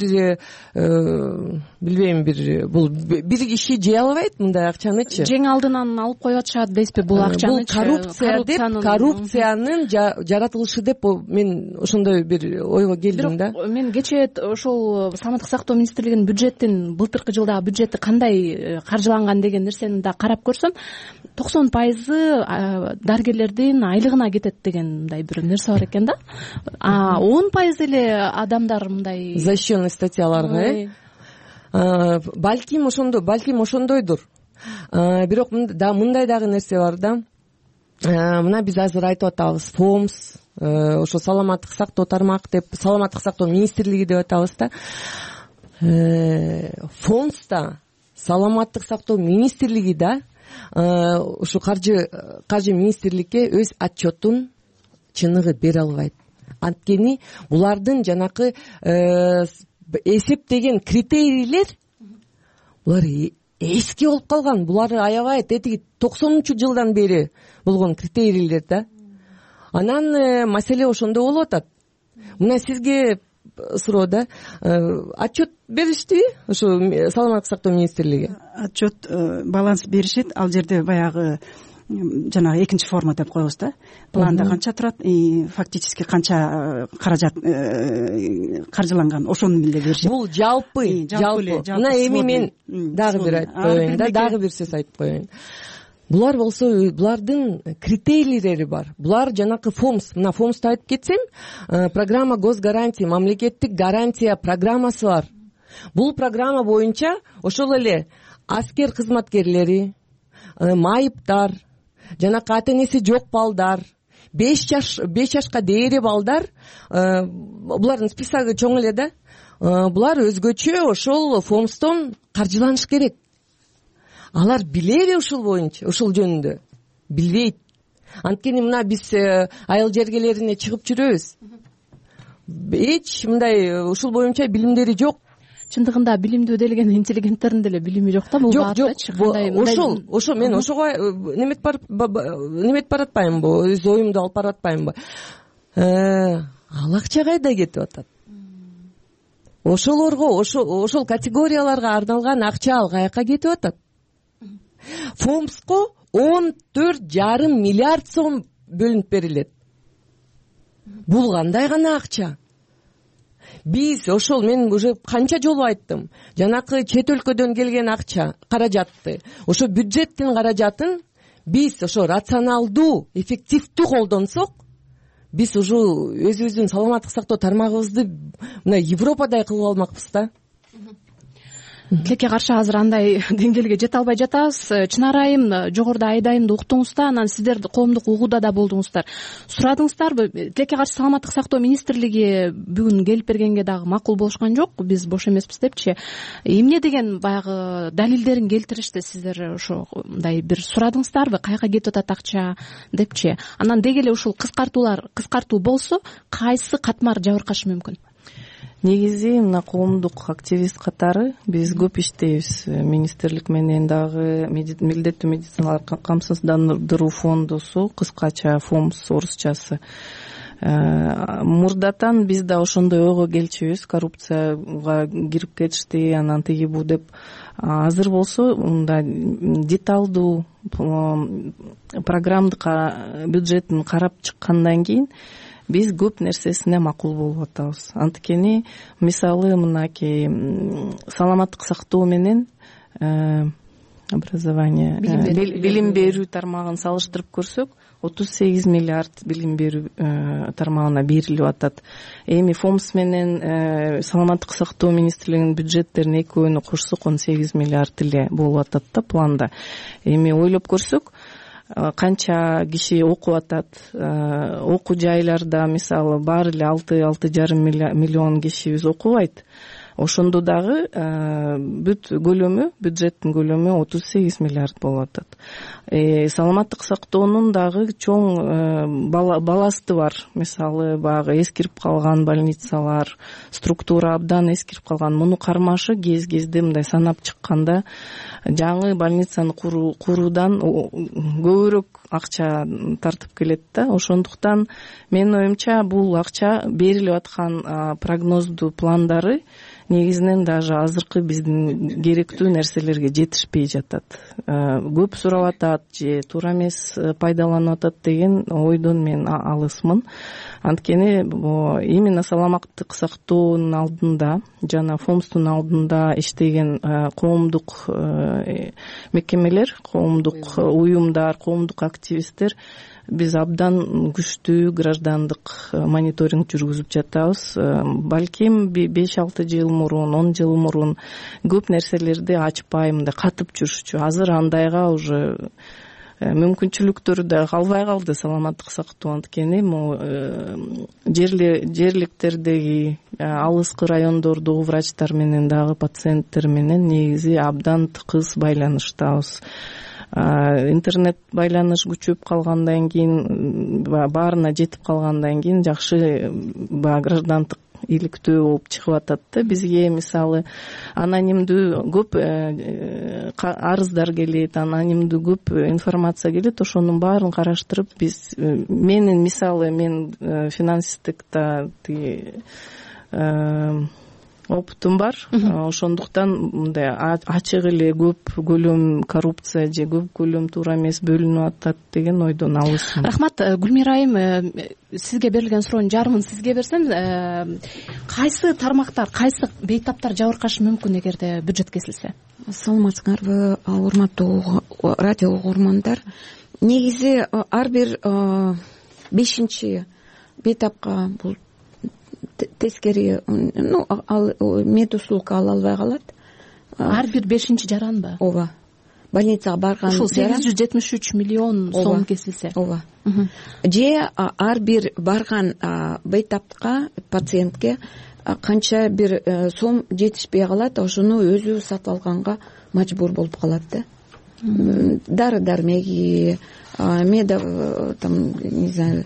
билбейм, бир бул бир киши жей албайт мындай акчанычы. Жең алдынан алып коюп атышат дейсизби бул акчаны? Бул коррупция деп, коррупциянын жаратылышы деп мен ошондой бир ойго келдим да. Бирок мен кечээ ошол саламаттык сактоо министрлигинин бюджетин, былтыркы жылдагы бюджети кандай каржыланган деген нерсени да карап көрсөм, токсон пайызы дарыгерлердин айлыгына кетет деген мындай бир нерсе бар экен да. А он пайыз эле адамдар мындай защищенный статьяларга, э? Балким ошондой, балким ошондойдур. Бирок да мындай дагы нерсе бар да. Мына биз азыр айтып атабыз, ФОМС, ошо саламаттык сактоо тармак деп, саламаттык сактоо министрлиги деп атабыз да. ФОМСта саламаттык сактоо министрлиги да ушу каржы каржы министрликке өз отчетун чыныгы бере албайт. Анткени булардын жанакы эсептеген критерийлер булар эски болуп калган. Булар аябай тетиги токсонунчу жылдан бери болгон критерийлер да. Анан маселе ошондо болуп атат. Мына сизге суроо да, отчет беришти ошо саламаттык сактоо министрлиги? Отчет, баланс беришет. Ал жерде баягы жанагы экинчи форма деп коебуз да. Планда канча турат, фактически канча каражат каржыланган, ошону эле беришет. Бул жалпы, жалпы. Мына эми мен дагы бир айтып коеюн да, дагы бир сөз айтып коеюн. Булар болсо, булардын критерийлери бар. Булар жанакы ФОМС, мына ФОМСты айтып кетсем, программа госгарантия, мамлекеттик гарантия программасы бар. Бул программа боюнча ошол эле аскер кызматкерлери, майыптар, жанакы ата энеси жок балдар, беш жаш беш жашка дээри балдар, булардын списогу чоң эле да. Булар өзгөчө ошол ФОМСтон каржыланыш керек. Алар билеби ушул боюнча, ушул жөнүндө? Билбейт. Анткени мына биз айыл жергелерине чыгып жүрөбүз. Эч мындай ушул боюнча билимдери жок. Чындыгында билимдүү делген интеллигенттердин деле билими жок да, бул баатычы. Ошол, ошо мен ошого неметип барып неметип баратпаймынбы, өз оюмду алып баратпаймынбы? Ал акча кайда кетип атат? Ошолорго, ошол категорияларга арналган акча ал каяка кетип атат? ФОМСко он төрт жарым миллиард сом бөлүнүп берилет. Бул кандай гана акча? Биз ошол, мен уже канча жолу айттым, жанакы чет өлкөдөн келген акча, каражатты, ошо бюджеттин каражатын биз ошо рационалдуу, эффективдүү колдонсок, биз уже өзүбүздүн саламаттык сактоо тармагыбызды мына Европадай кылып алмакпыз да. тилекке каршы азыр андай деңгээлге жете албай жатабыз. Чынар айым, жогоруда Айдайымды уктуңуз да, анан сиздер коомдук угууда да болдуңуздар. Сурадыңыздарбы? Тилекке каршы саламаттык сактоо министрлиги бүгүн келип бергенге дагы макул болушкан жок, биз бош эмеспиз депчи. Эмне деген баягы далилдерин келтиришти, сиздер ошондой бир сурадыңыздарбы? Каяка кетип атат акча депчи. Анан деги эле ушул кыскартуулар кыскартуу болсо, кайсы катмар жабыркашы мүмкүн? Негизи мына коомдук активист катары биз көп иштейбиз. Министрлик менен дагы милдеттүү медициналык камсыздандыруу фондусу, кыскача ФОМС орусчасы. Мурдатан биз да ошондой ойго келчүбүз, коррупцияга кирип кетишти, анан тиги бу деп. Азыр болсо мындай деталдуу программдык бюджетин карап чыккандан кийин биз көп нерсесине макул болуп атабыз. Анткени мисалы мынакей саламаттык сактоо менен образование билим берүү тармагын салыштырып көрсөк, отуз сегиз миллиард билим берүү тармагына берилип атат. Эми ФОМС менен саламаттык сактоо министрлигинин бюджеттерин экөөнү кошсок он сегиз миллиард эле болуп атат да планда. Эми ойлоп көрсөк, канча киши окуп атат, окуу жайларда мисалы баары эле алты алты жарым миллион кишибиз окубайт. Ошондо дагы бүт көлөмү, бюджеттин көлөмү отуз сегиз миллиард болуп атат. Саламаттык сактоонун дагы чоң баласты бар. Мисалы баягы эскирип калган больницалар, структура абдан эскирип калган. Муну кармашы кез-кезде мындай санап чыкканда жаңы больницаны куруудан көбүрөөк акча тартып келет да. Ошондуктан менин оюмча бул акча берилип аткан прогноздуу пландары негизинен даже азыркы биздин керектүү нерселерге жетишпей жатат. Көп сурап атат же туура эмес пайдаланып атат деген ойдон мен алысмын. Анткени именно саламаттык сактоонун алдында жана ФОМСтун алдында иштеген коомдук мекемелер, коомдук уюмдар, коомдук активисттер биз абдан күчтүү граждандык мониторинг жүргүзүп жатабыз. Балким беш алты жыл мурун, он жыл мурун көп нерселерди ачпай мындай катып жүрүшчү. Азыр андайга уже мүмкүнчүлүктөр да калбай калды саламаттык сактоо. Анткени жерликтердеги алыскы райондордогу врачтар менен дагы пациенттер менен негизи абдан тыкыз байланыштабыз. Интернет байланыш күчөп калгандан кийин, баарына жетип калгандан кийин жакшы граждандык иликтөө болуп чыгып атат да. Бизге мисалы анонимдүү көп арыздар келет, анонимдүү көп информация келет. Ошонун баарын караштырып биз, менин мисалы мен финансисттикте опытым бар. Ошондуктан мындай ачык эле көп көлөм коррупция же көп көлөм туура эмес бөлүнүп атат деген ойдон алысмын. Рахмат. Гүлмира айым, сизге берилген суроонун жарымын сизге берсем, кайсы тармактар, кайсы бейтаптар жабыркашы мүмкүн эгерде бюджет кесилсе? Саламатсыңарбы, урматтуу радио угурмандар. Негизи ар бир бешинчи бейтапка бул тескери, ну, мед услуга ала албай калат. Ар бир бешинчи жаранбы? Ооба. Больницага барган ушул сегиз жүз жетимиш үч миллион сом кесилсе. Ооба. Же ар бир барган бейтапка пациентке канча бир сом жетишпей калат, ошону өзү сатып алганга мажбур болуп калат да. Дары дармеги, меда, там, не знаю,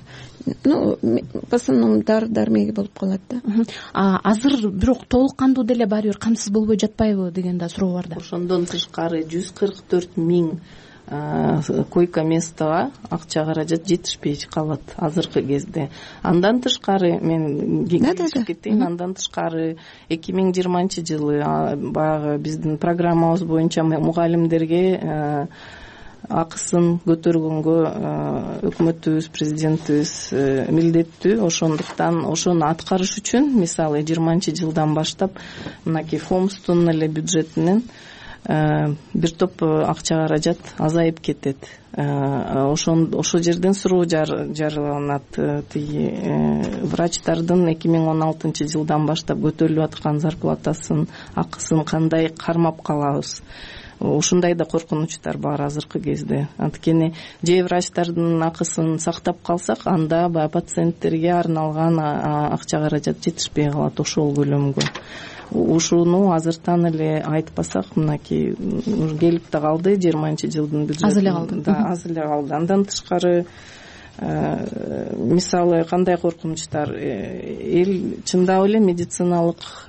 ну, в основном дары дармеги болуп калат да. Азыр бирок толук кандуу деле баары бир камсыз болбой жатпайбы деген да суроо бар да. Ошондон тышкары жүз кырк төрт миң койка местага акча каражат жетишпей калат азыркы кезде. Андан тышкары мен кеңешип кетейин, андан тышкары эки миң жыйырманчы жылы баягы биздин программабыз боюнча мугалимдерге акысын көтөргөнгө өкмөтүбүз, президентибиз милдеттүү. Ошондуктан ошону аткарыш үчүн мисалы жыйырманчы жылдан баштап мынакей ФОМСтун эле бюджетинен бир топ акча каражат азайып кетет. Ошон ошол жерден суроо жарыяланат. Тиги врачтардын эки миң он алтынчы жылдан баштап көтөрүлүп аткан зарплатасын, акысын кандай кармап калабыз? Ушундай да коркунучтар бар азыркы кезде. Анткени же врачтардын акысын сактап калсак, анда баягы пациенттерге арналган акча каражат жетишпей калат ошол көлөмгө. Ушуну азыртан эле айтпасак, мынакей келип да калды жыйырманчы жылдын бюджети. Аз эле калды. Да, аз эле калды. Андан тышкары мисалы кандай коркунучтар, эл чындап эле медициналык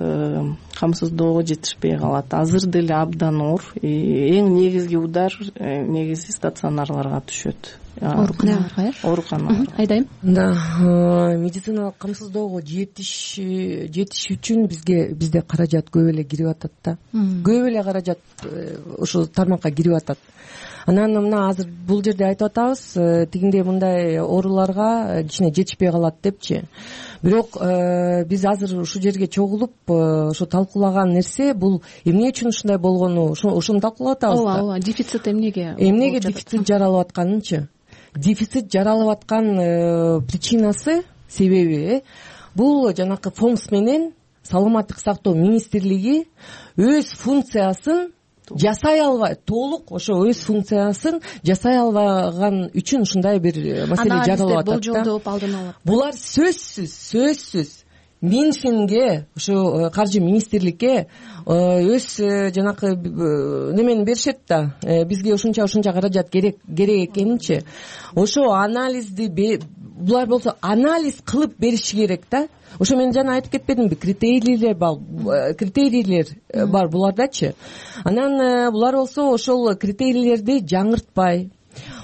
камсыздоого жетишпей калат. Азыр деле абдан оор. Эң негизги удар негизи стационарларга түшөт. Ооруканаларга, э? Ооруканаларга. Айдайм. Да, медициналык камсыздоого жетиш жетиш үчүн бизге бизде каражат көп эле кирип атат да. Көп эле каражат ушул тармакка кирип атат. Анан мына азыр бул жерде айтып атабыз, тигиндей мындай ооруларга кичине жетишпей калат депчи. Бирок биз азыр ушул жерге чогулуп ошо талкуулаган нерсе бул эмне үчүн ушундай болгону, ошону талкуулап атабыз да. Ооба, ооба, дефицит эмнеге? Эмнеге дефицит жаралып атканынчы? Дефицит жаралып аткан причинасы, себеби бул жанакы ФОМС менен Саламаттык сактоо министрлиги өз функциясын жасай албай, толук ошо өз функциясын жасай албаган үчүн ушундай бир маселе жаралып атат да. Болжолдоп алдын алат. Булар сөзсүз, сөзсүз Минфинге, ошо каржы министрликке өз жанакы немени беришет да, бизге ушунча ушунча каражат керек керек экенинчи. Ошо анализди булар болсо анализ кылып бериши керек да. Ошо мен жана айтып кетпедимби, критерийлер бар, критерийлер бар булардачы. Анан булар болсо ошол критерийлерди жаңыртпай,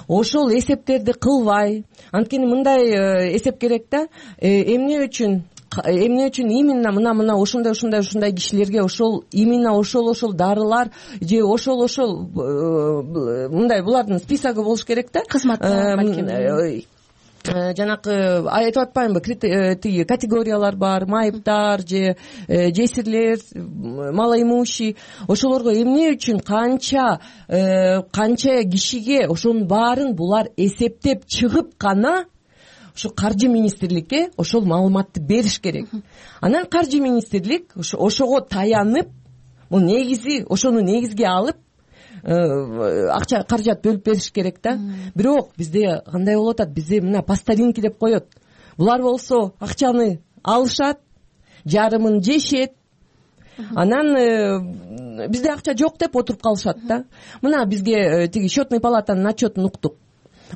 ошол эсептерди кылбай, анткени мындай эсеп керек да, эмне үчүн эмне үчүн именно мына мына ошондой ошондой ошондой кишилерге ошол именно ошол ошол дарылар же ошол ошол мындай булардын списогу болуш керек да. Кызматтар балким. Жанакы айтып атпаймынбы, тиги категориялар бар, майыптар же жесирлер, малоимущий. Ошолорго эмне үчүн канча канча кишиге ошонун баарын булар эсептеп чыгып гана ошо каржы министрликке ошол маалыматты бериш керек. Анан каржы министрлик ошого таянып, бул негизи ошону негизге алып акча каражат бөлүп бериш керек да. Бирок бизде кандай болуп атат? Бизде мына по старинке деп коет. Булар болсо акчаны алышат, жарымын жешет. Анан бизде акча жок деп отуруп калышат да. Мына бизге тиги счетный палатанын отчетун уктук.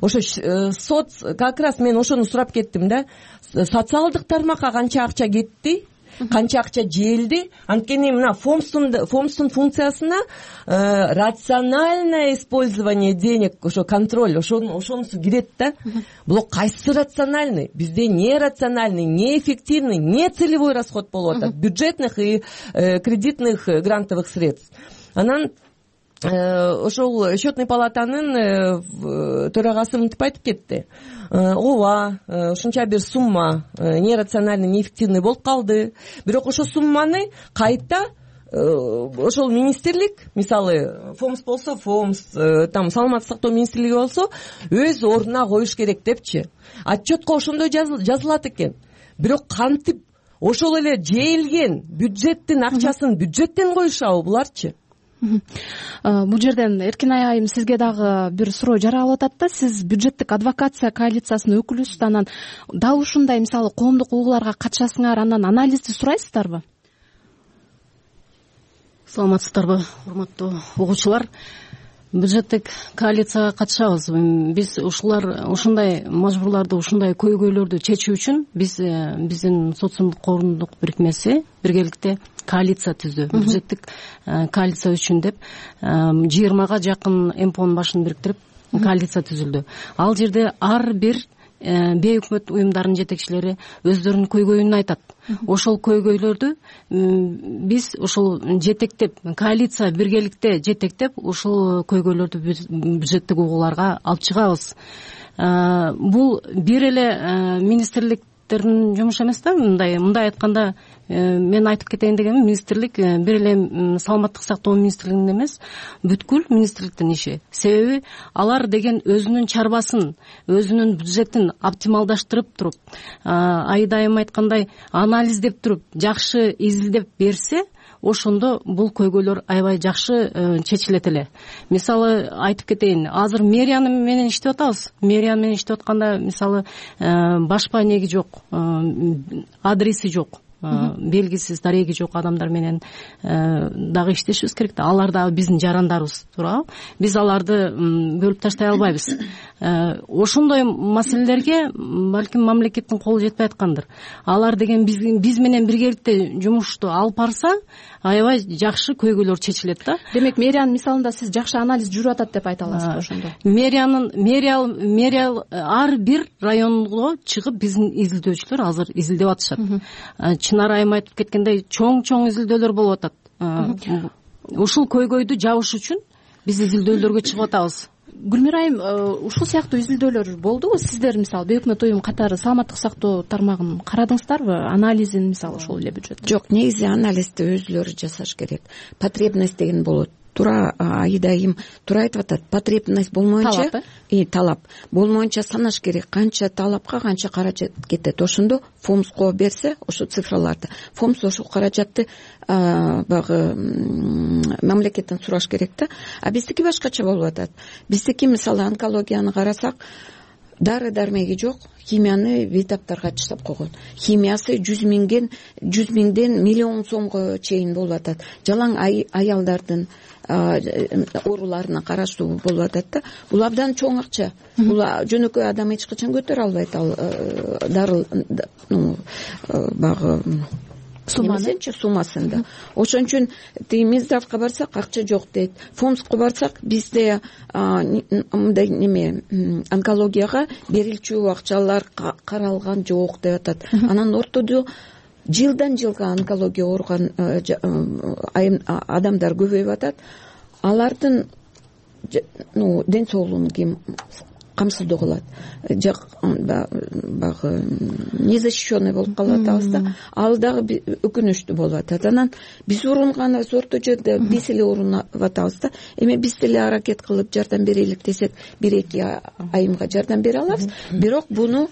Ошо соц как раз мен ошону сурап кеттим да. Социалдык тармакка канча акча кетти, канча акча желди? Анткени мына ФОМСтун ФОМСтун функциясына рациональное использование денег, ошо контроль, ошону ошонусу кирет да. Бул кайсы рациональный? Бизде не рациональный, не эффективный, не целевой расход болуп атат, бюджетных и кредитных грантовых средств. Анан ошол счетный палатанын төрагасы мынтип айтып кетти. Ооба, ушунча бир сумма нерациональный, неэффективный болуп калды. Бирок ошол сумманы кайта ошол министрлик, мисалы ФОМС болсо ФОМС, там Саламаттык сактоо министрлиги болсо өз ордуна коюш керек депчи. Отчетко ошондой жазылат экен. Бирок кантип ошол эле жээлген бюджеттин акчасын бюджеттен коюшабы буларчы? Бул жерден Эркин айым сизге дагы бир суроо жаралып атат да. Сиз бюджеттик адвокация коалициясынын өкүлүсүз, анан дал ушундай мисалы коомдук угууларга катышасыңар, анан анализди сурайсыздарбы? Саламатсыздарбы, урматтуу угуучулар? Бюджеттик коалицияга катышабыз. Биз ушулар ушундай мажбурларды, ушундай көйгөйлөрдү чечүү үчүн биз биздин социумдук коомдук бирикмеси биргеликте коалиция түздү. Бюджеттик коалиция үчүн деп жыйырмага жакын эмпонун башын бириктирип коалиция түзүлдү. Ал жерде ар бир бейөкмөт уюмдарынын жетекчилери өздөрүнүн көйгөйүн айтат. Ошол көйгөйлөрдү биз ошол жетектеп, коалиция биргеликте жетектеп, ошол көйгөйлөрдү бюджеттик угууларга алып чыгабыз. Бул бир эле министрлик министрликтердин жумушу эмес да. мындай мындай айтканда мен айтып кетейин дегеним, министрлик бир эле саламаттык сактоо министрлигинин эмес, бүткүл министрликтин иши. Себеби алар деген өзүнүн чарбасын, өзүнүн бюджетин оптималдаштырып туруп, айдайым айткандай анализдеп туруп, жакшы изилдеп берсе, ошондо бул көйгөйлөр аябай жакшы чечилет эле. Мисалы айтып кетейин, азыр мэрия менен иштеп атабыз. Мэрия менен иштеп атканда мисалы башпа неги жок, адреси жок, белгисиз, дареги жок адамдар менен дагы иштешибиз керек да. Алар дагы биздин жарандарыбыз, туурабы? Биз аларды бөлүп таштай албайбыз. Ошондой маселелерге балким мамлекеттин колу жетпей аткандыр. Алар деген биз, биз менен биргеликте жумушту алып барса, аябай жакшы көйгөйлөр чечилет да. Демек, мэриянын мисалында сиз жакшы анализ жүрүп атат деп айта аласызбы ошондо? Мэриянын мэрия мэрия ар бир районго чыгып биздин изилдөөчүлөр азыр изилдеп атышат. Чынар айым айтып кеткендей, чоң-чоң изилдөөлөр болуп атат. Ушул көйгөйдү жабыш үчүн биз изилдөөлөргө чыгып атабыз. Гүлмира айым, ушул сыяктуу изилдөөлөр болдубу? Сиздер мисалы бейөкмөт уюм катары саламаттык сактоо тармагын карадыңыздарбы? Анализин мисалы ошол эле бюджет? Жок, негизи анализди өзүлөрү жасаш керек. Потребность деген болот. Туура айдайым туура айтып атат. Потребность болмоюнча, и талап болмоюнча санаш керек. Канча талапка канча каражат кетет. Ошондо фомско берсе, ошо цифраларды, фомс ошол каражатты багы мамлекеттен сураш керек да. А биздики башкача болуп атат. Биздики мисалы онкологияны карасак, дары дармеги жок, химияны бейтаптарга таштап койгон. Химиясы жүз миңден жүз миңден миллион сомго чейин болуп атат. Жалаң аялдардын ооруларына караштуу болуп атат да. Бул абдан чоң акча. Бул жөнөкөй адам эч качан көтөрө албайт ал дары, ну багы суммасынчы суммасын да. Ошон үчүн тиги Минздравга барсак акча жок дейт. Фомско барсак бизде мындай неме онкологияга берилчү акчалар каралган жок деп атат. Анан ортодо жылдан жылга онкология ооруган адамдар көбөйүп атат. Алардын ну ден соолугун ким камсыздоо кылат? Багы незащищенный болуп калып атабыз да. Ал дагы өкүнүчтүү болуп атат. Анан биз урунганыбыз орто жерде биз эле урунуп атабыз да. Эми биз деле аракет кылып жардам берелик десек, бир эки айымга жардам бере алабыз. Бирок буну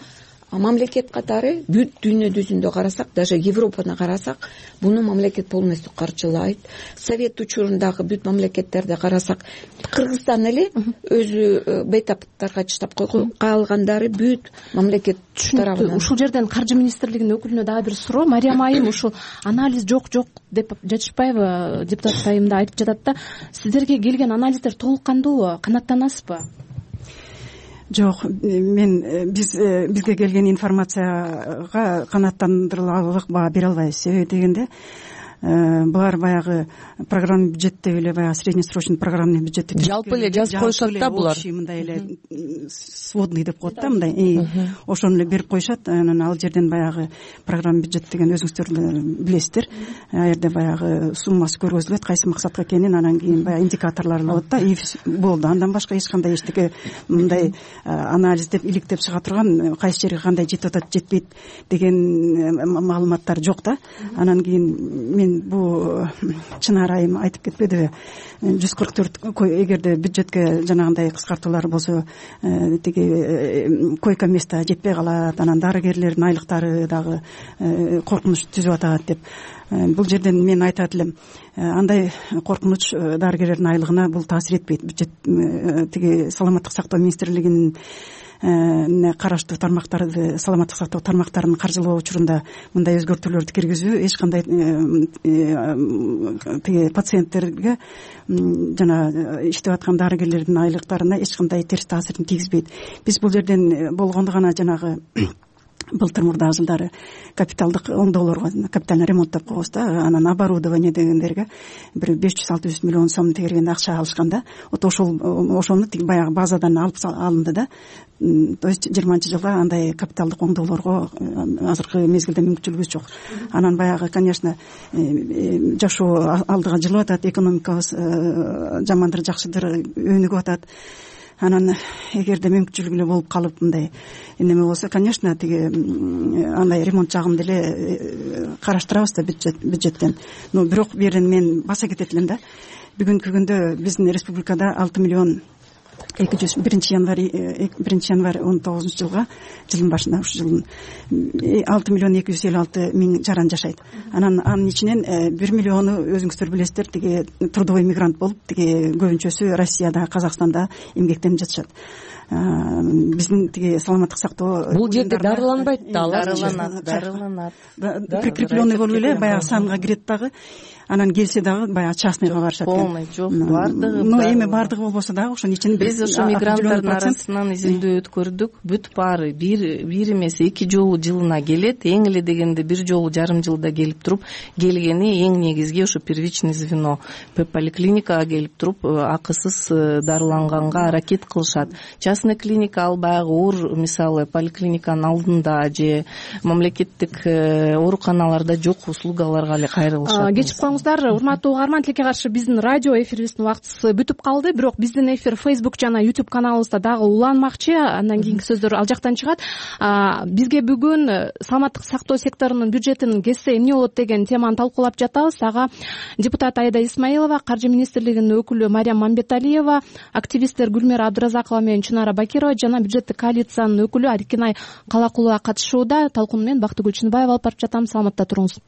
мамлекет катары бүт дүйнө жүзүндө карасак, даже Европаны карасак, буну мамлекет полностью каржылайт. Совет учурундагы бүт мамлекеттерди карасак, Кыргызстан эле өзү бейтаптарга таштап койгон, калгандары бүт мамлекет тарабынан. Ушул жерден каржы министрлигинин өкүлүнө дагы бир суроо. Мариям айым ушул анализ жок жок деп жатышпайбы? Депутат айым да айтып жатат да. Сиздерге келген анализдер толук кандуу? Канааттанасызбы? Жок, мен биз бизге келген информацияга канааттандырыларлык баа бере албайбыз. Себеби дегенде булар баягы программа бюджеттеги эле баягы среднесрочный программный бюджетти жалпы эле жазып коюшат да булар. Мындай эле сводный деп коет да, мындай. Ошону эле берип коюшат. Анан ал жерден баягы программа бюджет деген өзүңүздөр билесиздер. А жерде баягы суммасы көргөзүлөт, кайсы максатка экенин, анан кийин баягы индикаторлор болот да, и болду. Андан башка эч кандай эчтеке мындай анализ деп иликтеп чыга турган, кайсы жерге кандай жетип атат, жетпейт деген маалыматтар жок да. Анан кийин мен бул Чынар айым айтып кетпедиби, жүз кырк төрт эгерде бюджетке жанагындай кыскартуулар болсо, тиги койка место жетпей калат, анан дарыгерлердин айлыктары дагы коркунуч түзүп атат деп. Бул жерден мен айтат элем, андай коркунуч дарыгерлердин айлыгына бул таасир этпейт. Бюджет тиги саламаттык сактоо министрлигинин караштуу тармактарды, саламаттык сактоо тармактарын каржылоо учурунда мындай өзгөртүүлөрдү киргизүү эч кандай тиги пациенттерге жана иштеп аткан дарыгерлердин айлыктарына эч кандай терс таасирин тийгизбейт. Биз бул жерден болгондо гана жанагы былтыр мурдагы жылдары капиталдык оңдоолорго, капитальный ремонт деп коебуз да, анан оборудование дегендерге бир беш жүз алты жүз миллион сом тегерген акча алышканда, вот ошол ошону тиги баягы базадан алып алынды да. То есть жыйырманчы жылга андай капиталдык оңдоолорго азыркы мезгилде мүмкүнчүлүгүбүз жок. Анан баягы, конечно, жашоо алдыга жылып атат, экономикабыз жамандыр жакшыдыр өнүгүп атат. анан эгерде мүмкүнчүлүгү эле болуп калып мындай неме болсо, конечно, тиги андай ремонт жагын деле караштырабыз да бюджеттен. Но бирок бул жерден мен баса кетет элем да. Бүгүнкү күндө биздин республикада алты миллион эки жүз биринчи январь биринчи январь он тогузунчу жылга жылдын башында ушу жылдын алты миллион эки жүз элүү алты миң жаран жашайт. Анан анын ичинен бир миллиону өзүңүздөр билесиздер, тиги трудовой мигрант болуп, тиги көбүнчөсү Россияда, Казакстанда эмгектенип жатышат. Биздин тиги саламаттык сактоо бул жерде дарыланбайт да, алар дарыланат дарыланат прикрепленный болуп эле баягы санга кирет дагы, анан келсе дагы баягы частныйга барышат экен. Полный жок, баардыгы. Но эми баардыгы болбосо дагы ошонун ичинен биз ошо мигранттардын арасынан изилдөө өткөрдүк. Бүт баары бир бир эмес эки жолу жылына келет. Эң эле дегенде бир жолу жарым жылда келип туруп, келгени эң негизги ошо первичный звено поликлиникага келип туруп акысыз дарыланганга аракет кылышат. Частный клиника ал баягы оор, мисалы поликлиниканын алдында же мамлекеттик ооруканаларда жок услугаларга эле кайрылышат. Кечип коюңуздар, урматтуу угарман, тилекке каршы биздин радио эфирибиздин убактысы бүтүп калды. Бирок биздин эфир Facebook жана YouTube каналыбызда дагы уланмакчы. Андан кийинки сөздөр ал жактан чыгат. Бизге бүгүн саламаттык сактоо секторунун бюджетин кессе эмне болот деген теманы талкуулап жатабыз. Ага депутат Айда Исмаилова, Каржы министрлигинин өкүлү Мариям Мамбеталиева, активисттер Гүлмира Абдыразакова менен Чунара Бакирова жана бюджеттик коалициянын өкүлү Арикинай Калакулова катышууда. Талкууну мен Бактыгүл Чыныбаева алып барып жатам. Саламатта туруңуз.